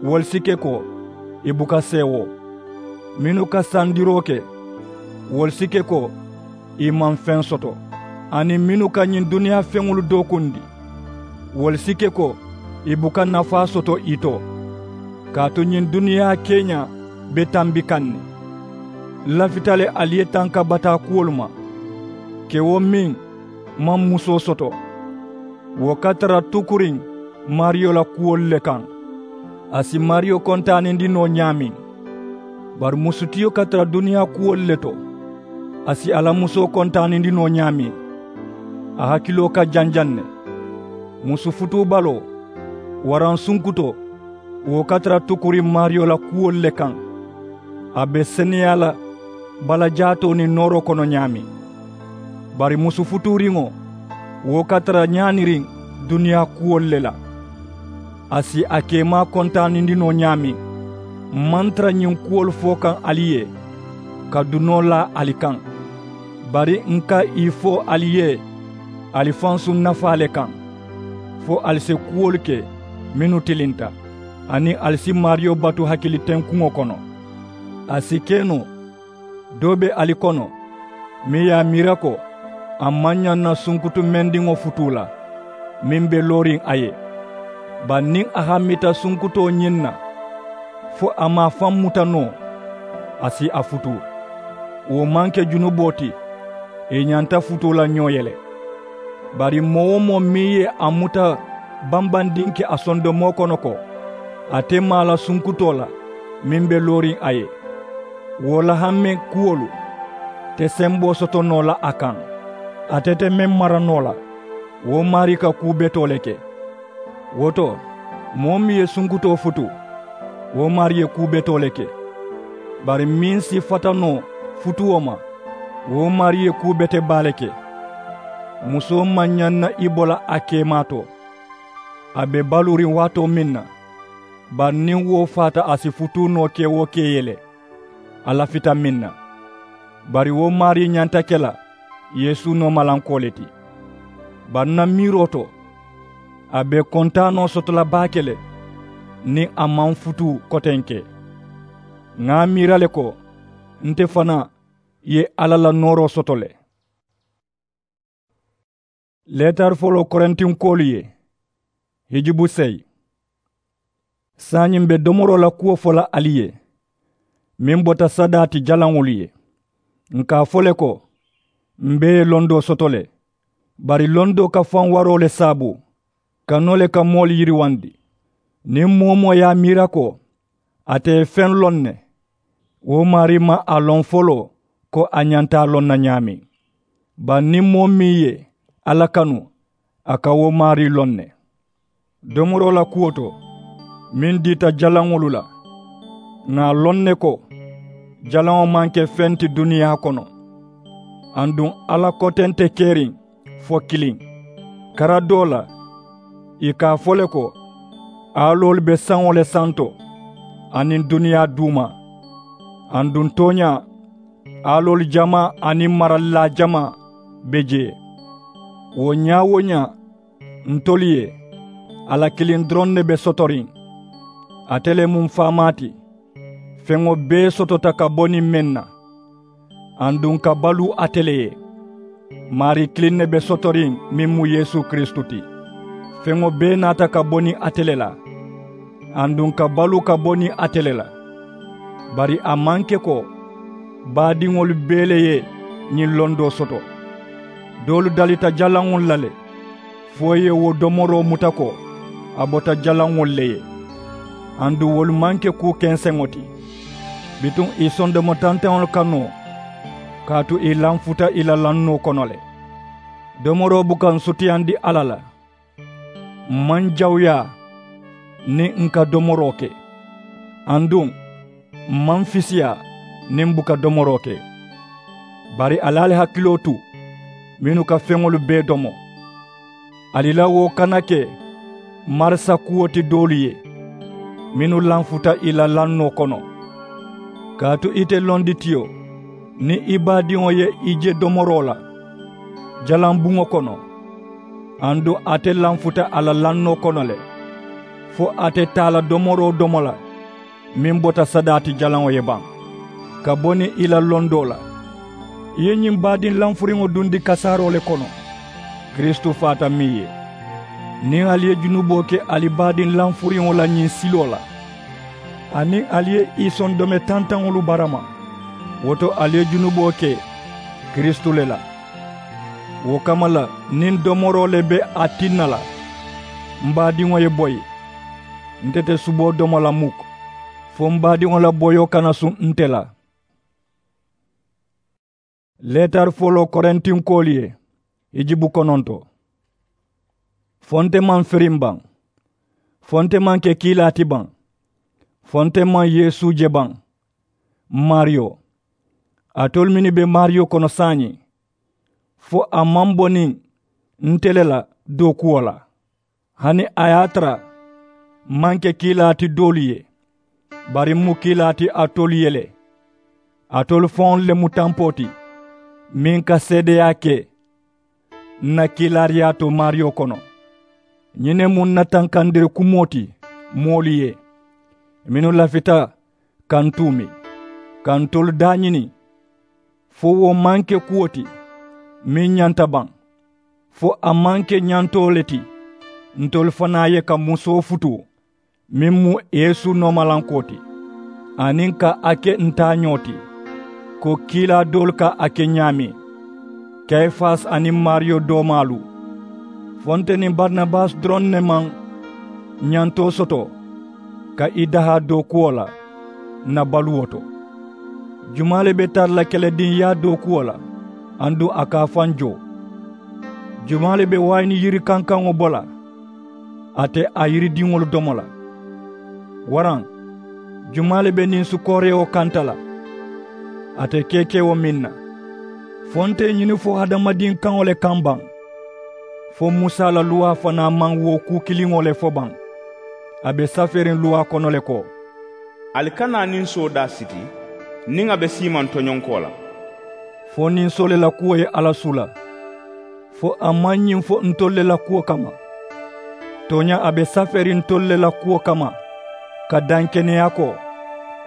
wolu si ke ko ì buka seewoo. Mennu ka sandiroo ke, wolu si ke ko ì maŋ feŋ soto. Aniŋ mennu ka ñiŋ duniyaa feŋolu dookundi, wolu si ke ko ì buka nafaa soto ì to. Kaatu ñiŋ duniyaa keeñaa be tambi kaŋ ne. N lafita le ali ye tanka bataa kuwolu ma, kewo meŋ maŋ musoo soto. Wo ka tara tukuriŋ maariyo la kuwolu le kaŋ. A si maariyo kontaanindi noo ñaameŋ. Bari musutiyo ka tara duniyaa kuwolu le to, a si a la musoo kontaanindi noo ñaameŋ. A hakiloo ka janjaŋ ne. Musu futuubaloo waraŋ sunkutoo, wo ka tara tukuriŋ maariyo la kuwolu le kaŋ. A be seneyaa la balajaatoo niŋ nooroo kono ñaameŋ. Bari musu futuuriŋo, wo ka tara ñaaniriŋ duniyaa kuwolu le la. A si a keemaa kontaanindi noo ñaameŋ. M maŋ tara ñiŋ kuwolu fo kaŋ ali ye, ka dunoo laa ali kaŋ. Bari n ka ì fo ali ye ali fansuŋ nafaa le kaŋ, fo ali si kuwolu ke mennu tilinta, aniŋ ali si maariyo batu hakili tenkuŋo kono. A si ke noo, doo be ali kono meŋ ye a miira ko a maŋ ñaŋ na sunkutu mendiŋo futuu la, meŋ be looriŋ a ye. Bari niŋ a hammita sunkutoo ñiŋ na, fo a maŋ a faŋ muta noo, a si a futuu. Wo maŋ ke junuboo ti, ì ñanta futuu la ñoo ye le. Bari moo-wo-moo meŋ ye a muta bambandinke a sondomoo kono ko, a te maa la sunkutoo la meŋ be looriŋ a ye, wo la hamme kuwolu te semboo soto noo la a kaŋ. Ate te meŋ mara noo la, wo maarii ka kuu betoo le ke. Wo to, moo meŋ ye sunkutoo futu, wo maarii ye kuu betoo le ke. Bari meŋ si fata noo futuo ma, wo maarii ye kuu bete baa le ke. Musoo maŋ ñaŋ na i bo la a keemaa to. A be baluuriŋ waatoo meŋ na, bari niŋ wo faata a si futuu noo ke wo ke ye le. A lafita meŋ na, bari wo maarii ñanta ke la yeesu noomalankoo le ti. Bari n na miiroo to, a be kontaanoo soto la baake le, niŋ a maŋ futuu kotenke. Ŋa a miira le ko nte fanaa ye alla la nooroo soto le. Leetari foloo korintinkoolu ye, hijubu seyi. Saayiŋ m̀ be domoroo la kuwo fo la ali ye, meŋ bota sadaa ti jalaŋolu ye. Ǹ ka a fo le ko, m̀ bee ye londoo soto le. Bari londoo ka faŋ waroo le saabu, kanoo le ka moolu yiriwandi. Niŋ moo-wo-moo ye a miira ko ate ye feŋ loŋ ne, wo maarii maŋ a loŋ foloo ko a ñanta a loŋ na ñaameŋ. Bari niŋ moo meŋ ye alla kanu, a ka wo maarii loŋ ne. Domoroo la kuwo to, meŋ diita jalaŋolu la, ŋà a loŋ ne ko jalaŋo maŋ ke feŋ ti duniyaa kono. Aduŋ alla kote nte keriŋ fo kiliŋ. Kara doo la, ì ka a fo le ko, aaloolu be saŋo le santo aniŋ duniyaa duuma. Aduŋ tooñaa, aaloolu jamaa aniŋ maralilaa jamaa be jee. Wo ñaa-wo-ñaa, ntolu ye a la kiliŋ doroŋ ne be sotoriŋ. Ate le mu m̀ faamaa ti. Feŋo bee sotota ka bo niŋ meŋ na, aduŋ ka baluu ate le ye. Maarii kiliŋ ne be sotoriŋ, meŋ mu yeesu kiristu ti. Feŋo bee naata ka bo niŋ ate le la, aduŋ ka baluu ka bo niŋ ate le la. Bari a maŋ ke ko baadiŋolu bee le ye ñiŋ londoo soto. Doolu dalita jalaŋolu la le, fo ì ye wo domoroo muta ko a bota jalaŋolu le ye. Aduŋ wolu maŋ ke kuu kenseŋo ti. Bituŋ ì sondomo tantaŋolu ka noo, kaatu ì lanfuta ì la lannoo kono le. Domoroo buka ǹ sutiyandi alla la. M̀ maŋ jawuyaa niŋ ǹ ka domoroo ke. Aduŋ m̀ maŋ fisiyaa niŋ m̀ buka domoroo ke. Bari ali ali hakiloo tu, mennu ka feŋolu bee domo, ali la wo kana ke marasa kuwo ti doolu ye, mennu lanfuta ì la lannoo kono. Kaatu ite londitiyo, niŋ i baadiŋo ye i je domoroo la jalaŋ buŋo kono, aduŋ ate lanfuta a la lannoo kono le, fo ate taa la domoroo domo la, meŋ bota sadaa ti jalaŋo ye baŋ, ka bo niŋ ì la londoo la. I ye ñiŋ baadiŋ lanfuriŋo dundi kasaaroo le kono, kiristu faata meŋ ye. Niŋ ali ye junuboo ke ali baadiŋ lanfuriŋo la ñiŋ siloo la, aniŋ ali ye ì sondome tantaŋolu barama, wo to ali ye junuboo ke kiristu le la. Wo kamma la, niŋ domoroo le be a tinna la, m̀ baadiŋo ye boyi. Nte te suboo domo la muk, fo m̀ baadiŋo la boyoo kana suŋ nte la. Leetari foloo korintinkoolu ye, hijubu kononto. Fo nte maŋ firiŋ baŋ? Fo nte maŋ ke kiilaa ti baŋ? Fo nte maŋ yeesu je baŋ? M̀ maariyo, alitolu mennu be maariyo kono saayiŋ, fo a maŋ bo niŋ nte le la dookuwo la. Hani a ye a tara m̀ maŋ ke kiilaa ti doolu ye, bari m̀ mu kiilaa ti alitolu ye le. Alitolu faŋolu le mu tampoo ti, meŋ ka seedeyaa ke ǹ na kiilaariyaa to maariyo kono. Ñiŋ ne mu ǹ na tankandiri kumoo ti moolu ye, mennu lafita ka ǹ tuumi, ka ntolu daañini, fo wo maŋ ke kuwo ti meŋ ñanta baŋ, fo a maŋ ke ñantoo le ti ntolu fanaa ye ka musoo futuu, meŋ mu yeesu noomalankoo ti, aniŋ ka a ke ǹ taañoo ti, ko kiilaa doolu ka a ke ñaameŋ, kayifasi aniŋ maariyo doomaalu. Fo nte niŋ barinabasi doroŋ ne maŋ ñantoo soto ka i dahaa dookuwo la ǹ na baluwo to. Jumaa le be tara la kelediŋyaa dookuwo la, aduŋ a ka a faŋ joo? Jumaa le be waayini yiri kankaŋo bo la? Ate a yiridiŋolu domo la. Waraŋ jumaa le be niŋ sukoorewo kanta la? Ate keekewo meŋ na. Fo nte ye ñini fo hadamadiŋ kaŋo le kaŋ baŋ? Fo musa la luwaa fanaa maŋ wo kuu kiliŋo le fo baŋ? A be safeeriŋ luwaa kono le ko, ali kana ninsoo daa siti niŋ a be siimaŋ toñonkoo la. Fo ninsoo le la kuwo ye alla suu la. Fo a maŋ ñiŋ fo ntolu le la kuwo kamma? Tooñaa a be safeeriŋ ntolu le la kuwo kamma ka daŋ keneyaa ko,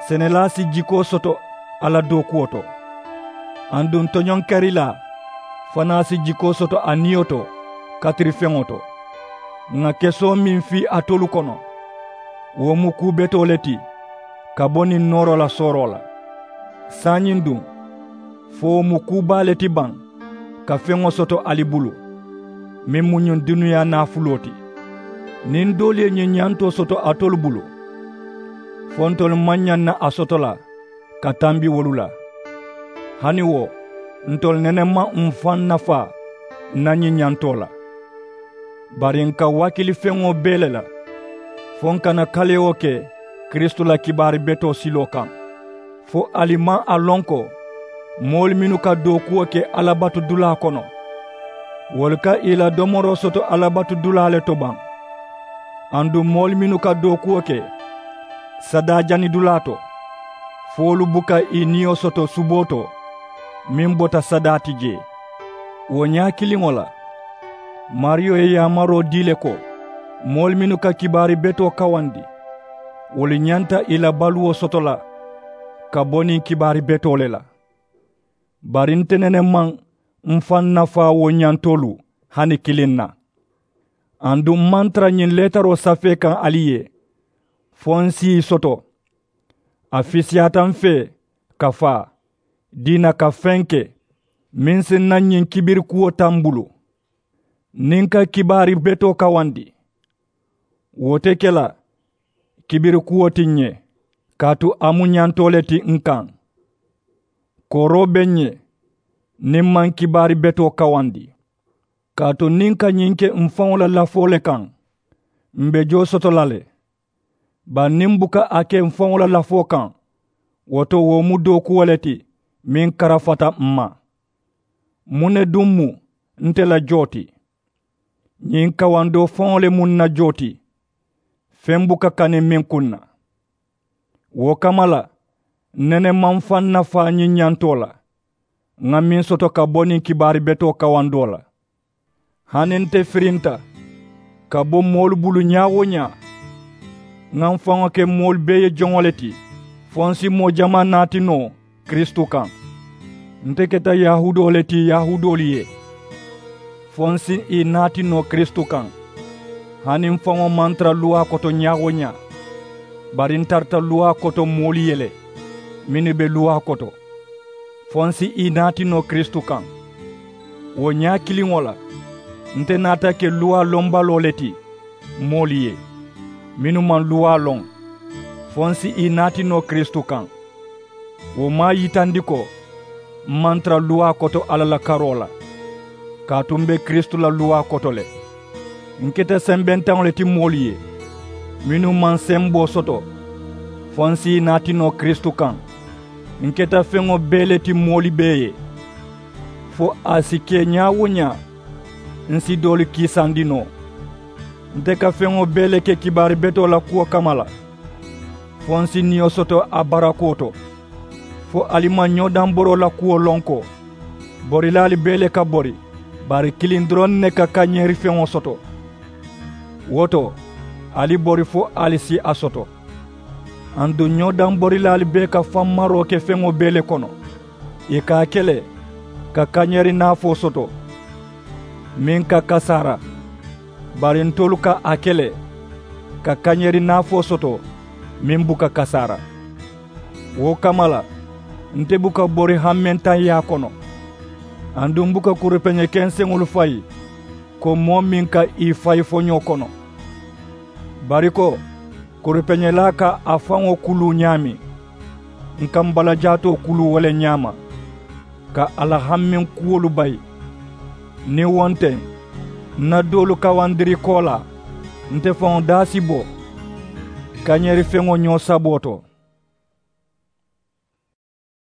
senelaa si jikoo soto a la dookuwo to, aduŋ toñonkerilaa fanaa si jikoo soto a niyo to katirifeŋo to. Ŋà kesoo meŋ fii alitolu kono, wo mu kuu betoo le ti ka bo niŋ nooroo la sooroo la. Saayiŋ duŋ, fo wo mu kuu baa le ti baŋ ka feŋo soto ali bulu, meŋ mu ñiŋ duniyaa naafuloo ti? Niŋ doolu ye ñiŋ ñantoo soto alitolu bulu, fo ntolu maŋ ñaŋ na a soto la ka tambi wolu la? Hani wo, ntolu nene maŋ m̀ faŋ nafaa n na ñiŋ ñantoo la. Bari n ka waakili feŋo bee le la fo n kana kalewo ke kiristu la kibaari betoo siloo kaŋ. Fo ali maŋ a loŋ ko moolu mennu ka dookuwo ke alabatudulaa kono, wolu ka ì la domoroo soto alabatudulaa le to baŋ? Aduŋ moolu mennu ka dookuwo ke sadaajanidulaa to, fo wolu buka ì niyo soto suboo to meŋ bota sadaa ti jee. Wo ñaa kiliŋo la, maariyo ye yaamaroo dii le ko moolu mennu ka kibaari betoo kawandi, wolu ñanta ì la baluwo soto la ka bo niŋ kibaari betoo le la. Bari nte nene maŋ m̀ faŋ nafaa wo ñantoolu hani kiliŋ na. Aduŋ m̀ maŋ tara ñiŋ leetaroo safee kaŋ ali ye fo n si ì soto. A fisiyaata m fee ka faa diina ka feŋ ke meŋ si n na ñiŋ kibirikuwo taa m bulu. Niŋ n ka kibaari betoo kawandi, wo te ke la kibirikuwo ti ǹ ye, kaatu a mu ñantoo le ti n kaŋ. Kooroo be ǹ ye niŋ m maŋ kibaari betoo kawandi. Kaatu niŋ n ka ñiŋ ke m̀ faŋo la lafoo le kaŋ, m̀ be joo soto la le. Bari niŋ m̀ buka a ke m̀ faŋo la lafoo kaŋ, wo to wo mu dookuwo le ti meŋ karafata m ma. Muŋ ne duŋ mu nte la joo ti? Ñiŋ kawandoo faŋo le mu n na joo ti, feŋ buka kani meŋ kuŋ na. Wo kamma la, n nene maŋ m̀ faŋ nafaa ñiŋ ñantoo la ŋà meŋ soto ka bo niŋ kibaari betoo kawandoo la. Hani nte firinta ka bo moolu bulu ñaa-wo-ñaa, ŋà m faŋo ke moolu bee ye joŋo le ti fo n si moo jamaa naati noo kiristu kaŋ. Nte keta yahuudoo le ti yahuudoolu ye fo n si ì naati noo kiristu kaŋ. Hani m faŋo maŋ tara luwaa koto ñaa-wo-ñaa, bari n tarata luwaa koto moolu ye le mennu be luwaa koto, fo n si ì naati noo kiristu kaŋ. Wo ñaa kiliŋo la, nte naata ke luwaa lombaloo le ti moolu ye mennu maŋ luwaa loŋ, fo n si ì naati noo kiristu kaŋ. Wo maŋ a yitandi ko m maŋ tara luwaa koto alla la karoo la, kaatu m be kiristu la luwaa koto le. N keta sembentaŋo le ti moolu ye mennu maŋ semboo soto, fo n si ì naati noo kiristu kaŋ. N keta feŋo bee le ti moolu bee ye, fo a si ke ñaa-wo-ñaa n si doolu kiisandi noo. Nte ka feŋo bee le ke kibaari betoo la kuwo kamma la, fo n si niyo soto a barakoo to. Fo ali maŋ ñoo daŋ boroo la kuwo loŋ ko borilaalu bee le ka bori, bari kiliŋ doroŋ ne ka kañeeri feŋo soto. Wo to, ali bori fo ali si a soto. Aduŋ ñoo daŋ borilaalu bee ka faŋ maroo ke feŋo bee le kono. Ì ka a ke le ka kañeeri naafoo soto meŋ ka kasaara, bari ntolu ka a ke le ka kañeeri naafoo soto meŋ buka kasaara. Wo kamma la, nte buka bori hammentaŋyaa kono, aduŋ n buka kuripeñe kenseŋolu fayi ko moo meŋ ka ì fayi foñoo kono. Bari ko kuripeñelaa ka a faŋo kuluu ñaameŋ, n ka m balajaatoo kuluu wo le ñaama ka a la hammeŋ kuwolu bayi. Niŋ wo nteŋ, N na doolu kawandiri koolaa, nte faŋo daa si bo kañeerifeŋo ñoo saboo to.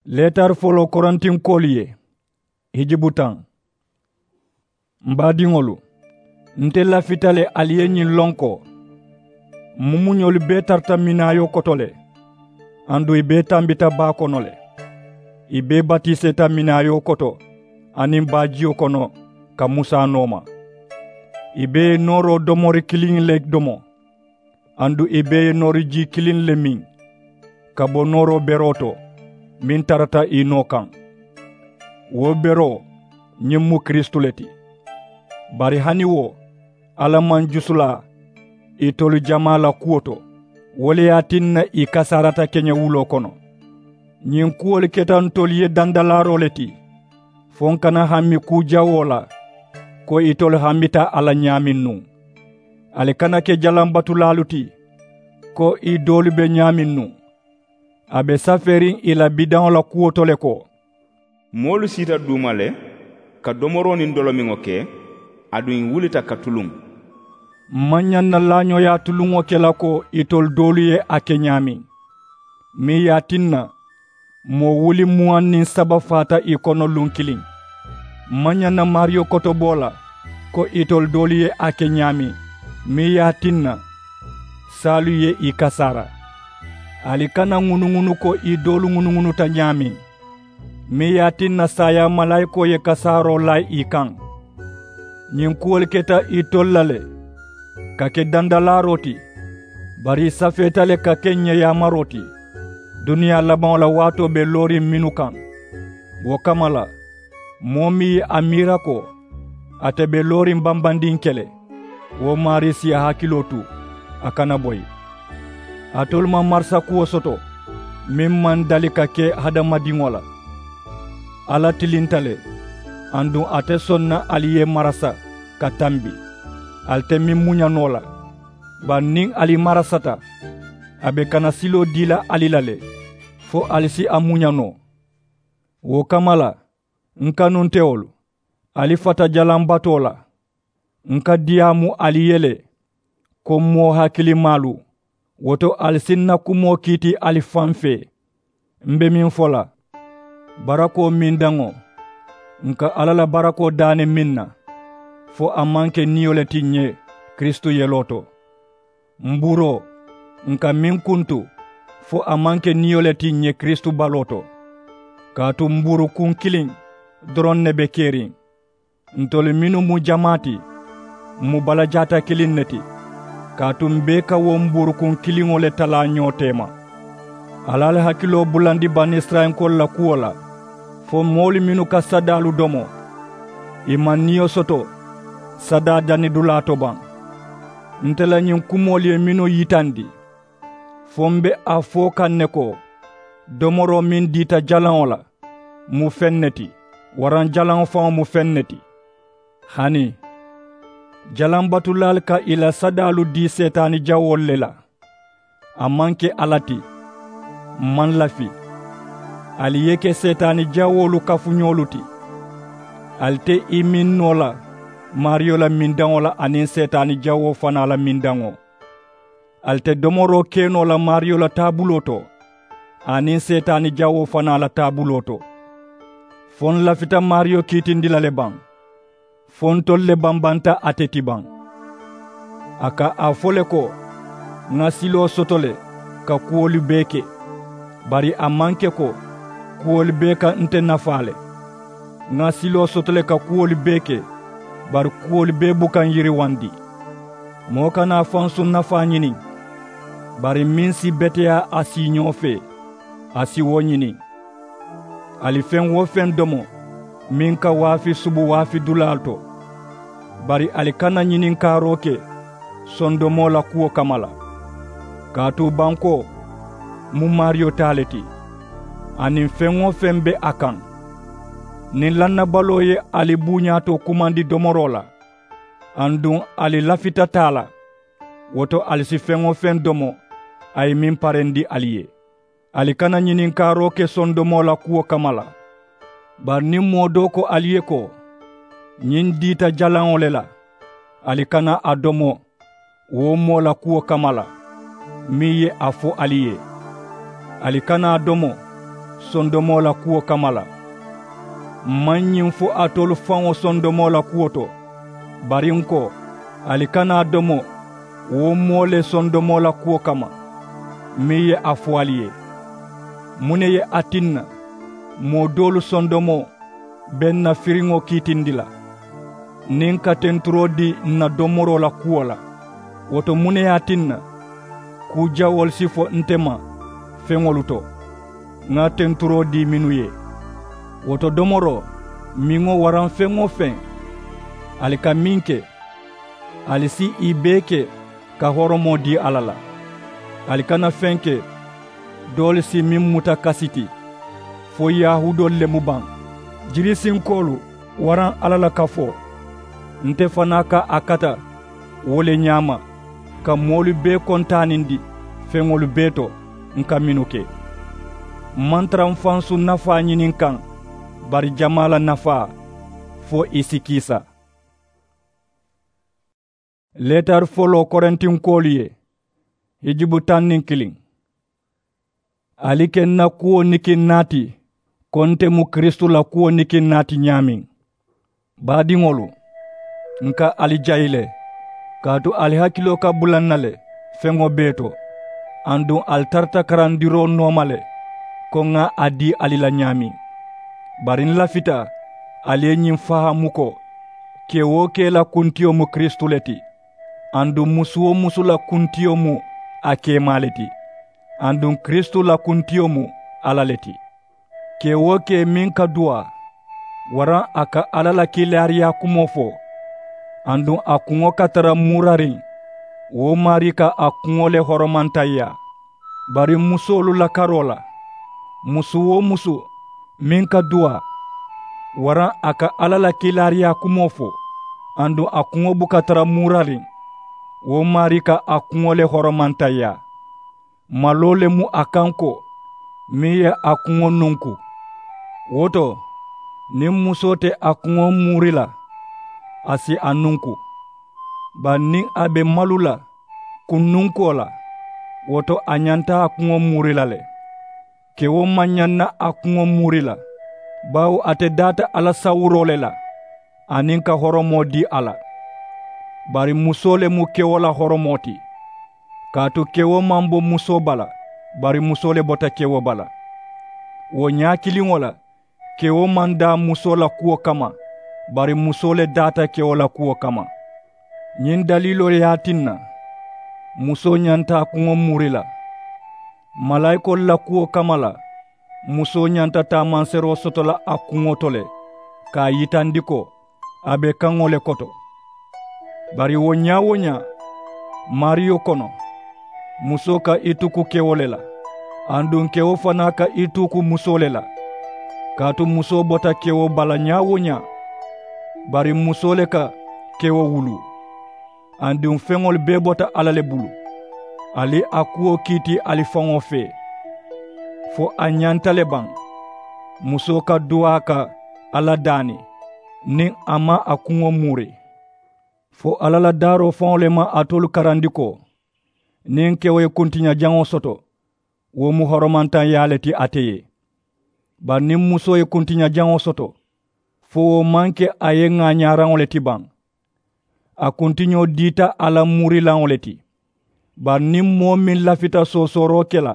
Leetari foloo korintinkoolu ye. Hijibu taŋ. M baadiŋolu, nte lafita le ali ye ñiŋ loŋ ko mumuñolu bee tarata minaayoo koto le, aduŋ ì bee tambita baa kono le. Ì bee batiseeta minaayoo koto aniŋ baajiyo kono ka musa nooma. Ì bee ye nooroo domori kiliŋ le domo, aduŋ ì bee ye noori jii kiliŋ le miŋ ka bo nooroo beroo to meŋ tarata ì noo kaŋ. Wo beroo, ñiŋ mu kiristu le ti. Bari hani wo, alla maŋ jusulaa itolu jamaa la kuwo to. Wo le ye a tinna ì kasaarata keñewuloo kono. Ñiŋ kuwolu keta ntolu ye dandalaaroo le ti, fo n kana hami kuu jawoo la ko itolu hamita a la ñaameŋ nuŋ. Ali kana ke jalambatulaalu ti ko ì doolu be ñaameŋ nuŋ. A be safeeriŋ ì la bidaŋo la kuwo to le ko, moolu siita duuma le ka domoroo niŋ dolomiŋo ke, aduŋ ì wulita ka tuluŋ. M maŋ ñaŋ na laañooyaa tuluŋo ke la ko itolu doolu ye a ke ñaameŋ, meŋ ye a tinna moo wuli muwaŋ niŋ saba faata ì kono luŋ kiliŋ. M maŋ ñaŋ na maariyo kotoboo la ko itolu doolu ye a ke ñaameŋ, meŋ ye a tinna saalu ye ì kasaara. Ali kana ŋunuŋunu ko ì doolu ŋunuŋunuta ñaameŋ, meŋ ye a tinna saayaa malaayikoo ye kasaaroo laa ì kaŋ. Ñiŋ kuwolu keta itolu la le ka ke dandalaaroo ti, bari ì safeeta le ka ke ǹ ye yaamaroo ti duniyaa labaŋo la waatoo be looriŋ mennu kaŋ. Wo kamma la, moo meŋ ye a miira ko ate be looriŋ bambandiŋ ke le, wo maarii si a hakiloo tu a kana boyi. Alitolu maŋ marasa kuwo soto meŋ maŋ dali ka ke hadamadiŋo la. Alla tilinta le, aduŋ a te soŋ na ali ye marasa ka tambi. Ali te meŋ muña noo la, bari niŋ ali marasata, a be kana siloo dii la ali la le, fo ali si a muña noo. Wo kamma la, n kanuntewolu, ali fata jalambatoo la. N ka diyaamu ali ye le ko moo hakilimaalu. Wo to, ali si n na kumoo kiiti ali faŋ fee. M be meŋ fo la, barakoo mindaŋo, n ka alla la barakoo daani meŋ na, fo a maŋ ke niyo le ti ǹ ye kiristu yeloo to. Mbuuroo, n ka meŋ kuntu, fo a maŋ ke niyo le ti ǹ ye kiristu baloo to. Kaatu mbuuru kuŋ kiliŋ doroŋ ne be keriŋ. Ntolu mennu mu jamaa ti, m mu balajaata kiliŋ ne ti. Kaatu m bee ka wo mbuuru kuŋ kiliŋo le talaa ñoo teema. Ali ali hakiloo bulandi banisirayilankoolu la kuwo la, fo moolu mennu ka sadaalu domo, ì maŋ niyo soto sadaa danidulaa to baŋ. Nte la ñiŋ kumoolu ye mennu yitandi, fo m be a fo kaŋ ne ko, domoroo meŋ diita jalaŋo la mu feŋ ne ti, waraŋ jalaŋo faŋo mu feŋ ne ti. Hani, jalaŋ batulaalu ka ì la sadaalu dii seetaani jawoolu le la. A maŋ ke alla ti. M maŋ lafi. Ali ye ke seetaani jawoolu kafuñoolu ti. Ali te ì miŋ noo la maariyo la mindaŋo la aniŋ seetaani jawoo fanaa la mindaŋo. Ali te domoroo ke noo la maariyo la taabuloo to, aniŋ seetaani jawoo fanaa la taabuloo to. Fo n lafita maariyo kiitindi la le baŋ? Fo ntolu le bambanta ate ti baŋ? A ka a fo le ko, ŋa siloo soto le ka kuwolu bee ke, bari a maŋ ke ko kuwolu bee ka nte nafaa le. Ŋa siloo soto le ka kuwolu bee ke, bari kuwolu bee buka n yiriwandi. Moo kana a fansuŋ nafaa ñini, bari meŋ si beteyaa a siiñoo fee, a si wo ñini. Ali feŋ-wo-feŋ domo meŋ ka waafi subu waafi dulaalu to, bari ali kana ñininkaaroo ke sondomoo la kuwo kamma la. Kaatu bankoo mu maariyo taa le ti, aniŋ feŋ-wo-feŋ be a kaŋ. Niŋ lannabaloo ye ali buuñaa to kumandi domoroo la, aduŋ ali lafita taa la, wo to ali si feŋ-wo-feŋ domo a ye meŋ parendi ali ye. Ali kana ñininkaaroo ke sondomoo la kuwo kamma la. Bari niŋ moo doo ko ali ye ko, ñiŋ diita jalaŋo le la, Ali kana a domo wo moo la kuwo kamma la, meŋ ye a fo ali ye. Ali kana a domo sondomoo la kuwo kamma la. M̀ maŋ ñiŋ fo alitolu faŋo sondomoo la kuwo to, bari ǹ ko, ali kana a domo wo moo le sondomoo la kuwo kamma, meŋ ye a fo ali ye. Muŋ ne ye a tinna moo doolu sondomoo be ǹ na firiŋo kiitindi la, niŋ ǹ ka tenturoo dii ǹ na domoroo la kuwo la? Wo to, muŋ ne ye a tinna kuu jawoolu si fo nte ma feŋolu to, ŋa tenturoo dii mennu ye? Wo to, domoroo, miŋo waraŋ feŋ-wo-feŋ ali ka meŋ ke, ali si ì bee ke ka horomoo dii alla la. Ali kana feŋ ke doolu si meŋ muta kasi ti, fo yahuudoolu le mu baŋ. Jirisinkoolu waraŋ alla la kafoo, nte fanaa ka a kata wo le ñaama, ka moolu bee kontaanindi feŋolu bee to ǹ ka mennu ke. M̀ maŋ tara m̀ fansu nafaa ñini ǹ kaŋ, bari jamaa la nafaa, fo ì si kiisa. Leetari foloo korintinkoolu ye, hijubu taŋ niŋ kiliŋ. Ali ke ǹ na kuwo nikiŋ naa ti, ko nte mu kiristu la kuwo nikiŋ naa ti ñaameŋ. Baadiŋolu, ǹ ka ali jayi le, kaatu ali hakiloo ka bula ǹ na le feŋo bee to, aduŋ ali tarata karandiroo nooma le, ko ŋa a dii ali la ñaameŋ. Bari ǹ lafita ali ye ñiŋ fahaamu ko, kee-wo-kee la kuntiyo mu kiristu le ti, aduŋ musu-wo-musu la kuntiyo mu a keemaa le ti, aduŋ kiristu la kuntiyo mu alla le ti. Kee-wo-kee meŋ ka duwaa, waraŋ a ka alla la kiilaariyaa kumoo fo, aduŋ a kuŋo ka tara muurariŋ, wo maarii ka a kuŋo le horomantaŋyaa. Bari musoolu la karoo la, musu-wo-musu meŋ ka duwaa, waraŋ a ka alla la kiilaariyaa kumoo fo, aduŋ a kuŋo buka tara muurariŋ, wo maarii ka a kuŋo le horomantaŋyaa. Maloo le mu a kaŋ ko, meŋ ye a kuŋo nunku. Wo to, niŋ musoo te a kuŋo muuri la, a si a nunku. Bari niŋ a be malu la kunnunkoo la, wo to a ñanta a kuŋo muuri la le. Kewo maŋ ñaŋ na a kuŋo muuri la, bawo ate daata alla sawuroo le la, aniŋ ka horomoo dii a la. Bari musoo le mu kewo la horomoo ti. Kaatu kewo maŋ bo musoo bala, bari musoo le bota kewo bala. Wo ñaa kiliŋo la, kewo maŋ daa musoo la kuwo kamma, bari musoo le daata kewo la kuwo kamma. Ñiŋ daliiloo ye a tinna musoo ñanta a kuŋo muuri la. Malaayikoolu la kuwo kamma la, musoo ñanta taamanseeroo soto la a kuŋo to le, ka a yitandi ko a be kaŋo le koto. Bari wo ñaa-wo-ñaa, maariyo kono, musoo ka i tuku kewo le la, aduŋ kewo fanaa ka i tuku musoo le la. Kaatu musoo bota kewo bala ñaa-wo-ñaa, bari musoo le ka kewo wuluu. Aduŋ feŋolu bee bota alla le bulu. Ali a kuwo kiiti ali faŋo fee. Fo a ñanta le baŋ, musoo ka duwaa ka alla daani, niŋ a maŋ a kuŋo muuri. Fo alla la daaroo faŋo le maŋ alitolu karandi ko, niŋ kewo ye kuntiña jaŋo soto, wo mu horomantaŋyaa le ti ate ye. Bari niŋ musoo ye kuntiña jaŋo soto, fo wo maŋ ke a ye ŋaañaaraŋo le ti baŋ. A kuntiñoo diita alla muurilaŋo le ti. Bari niŋ moo meŋ lafita soosooroo ke la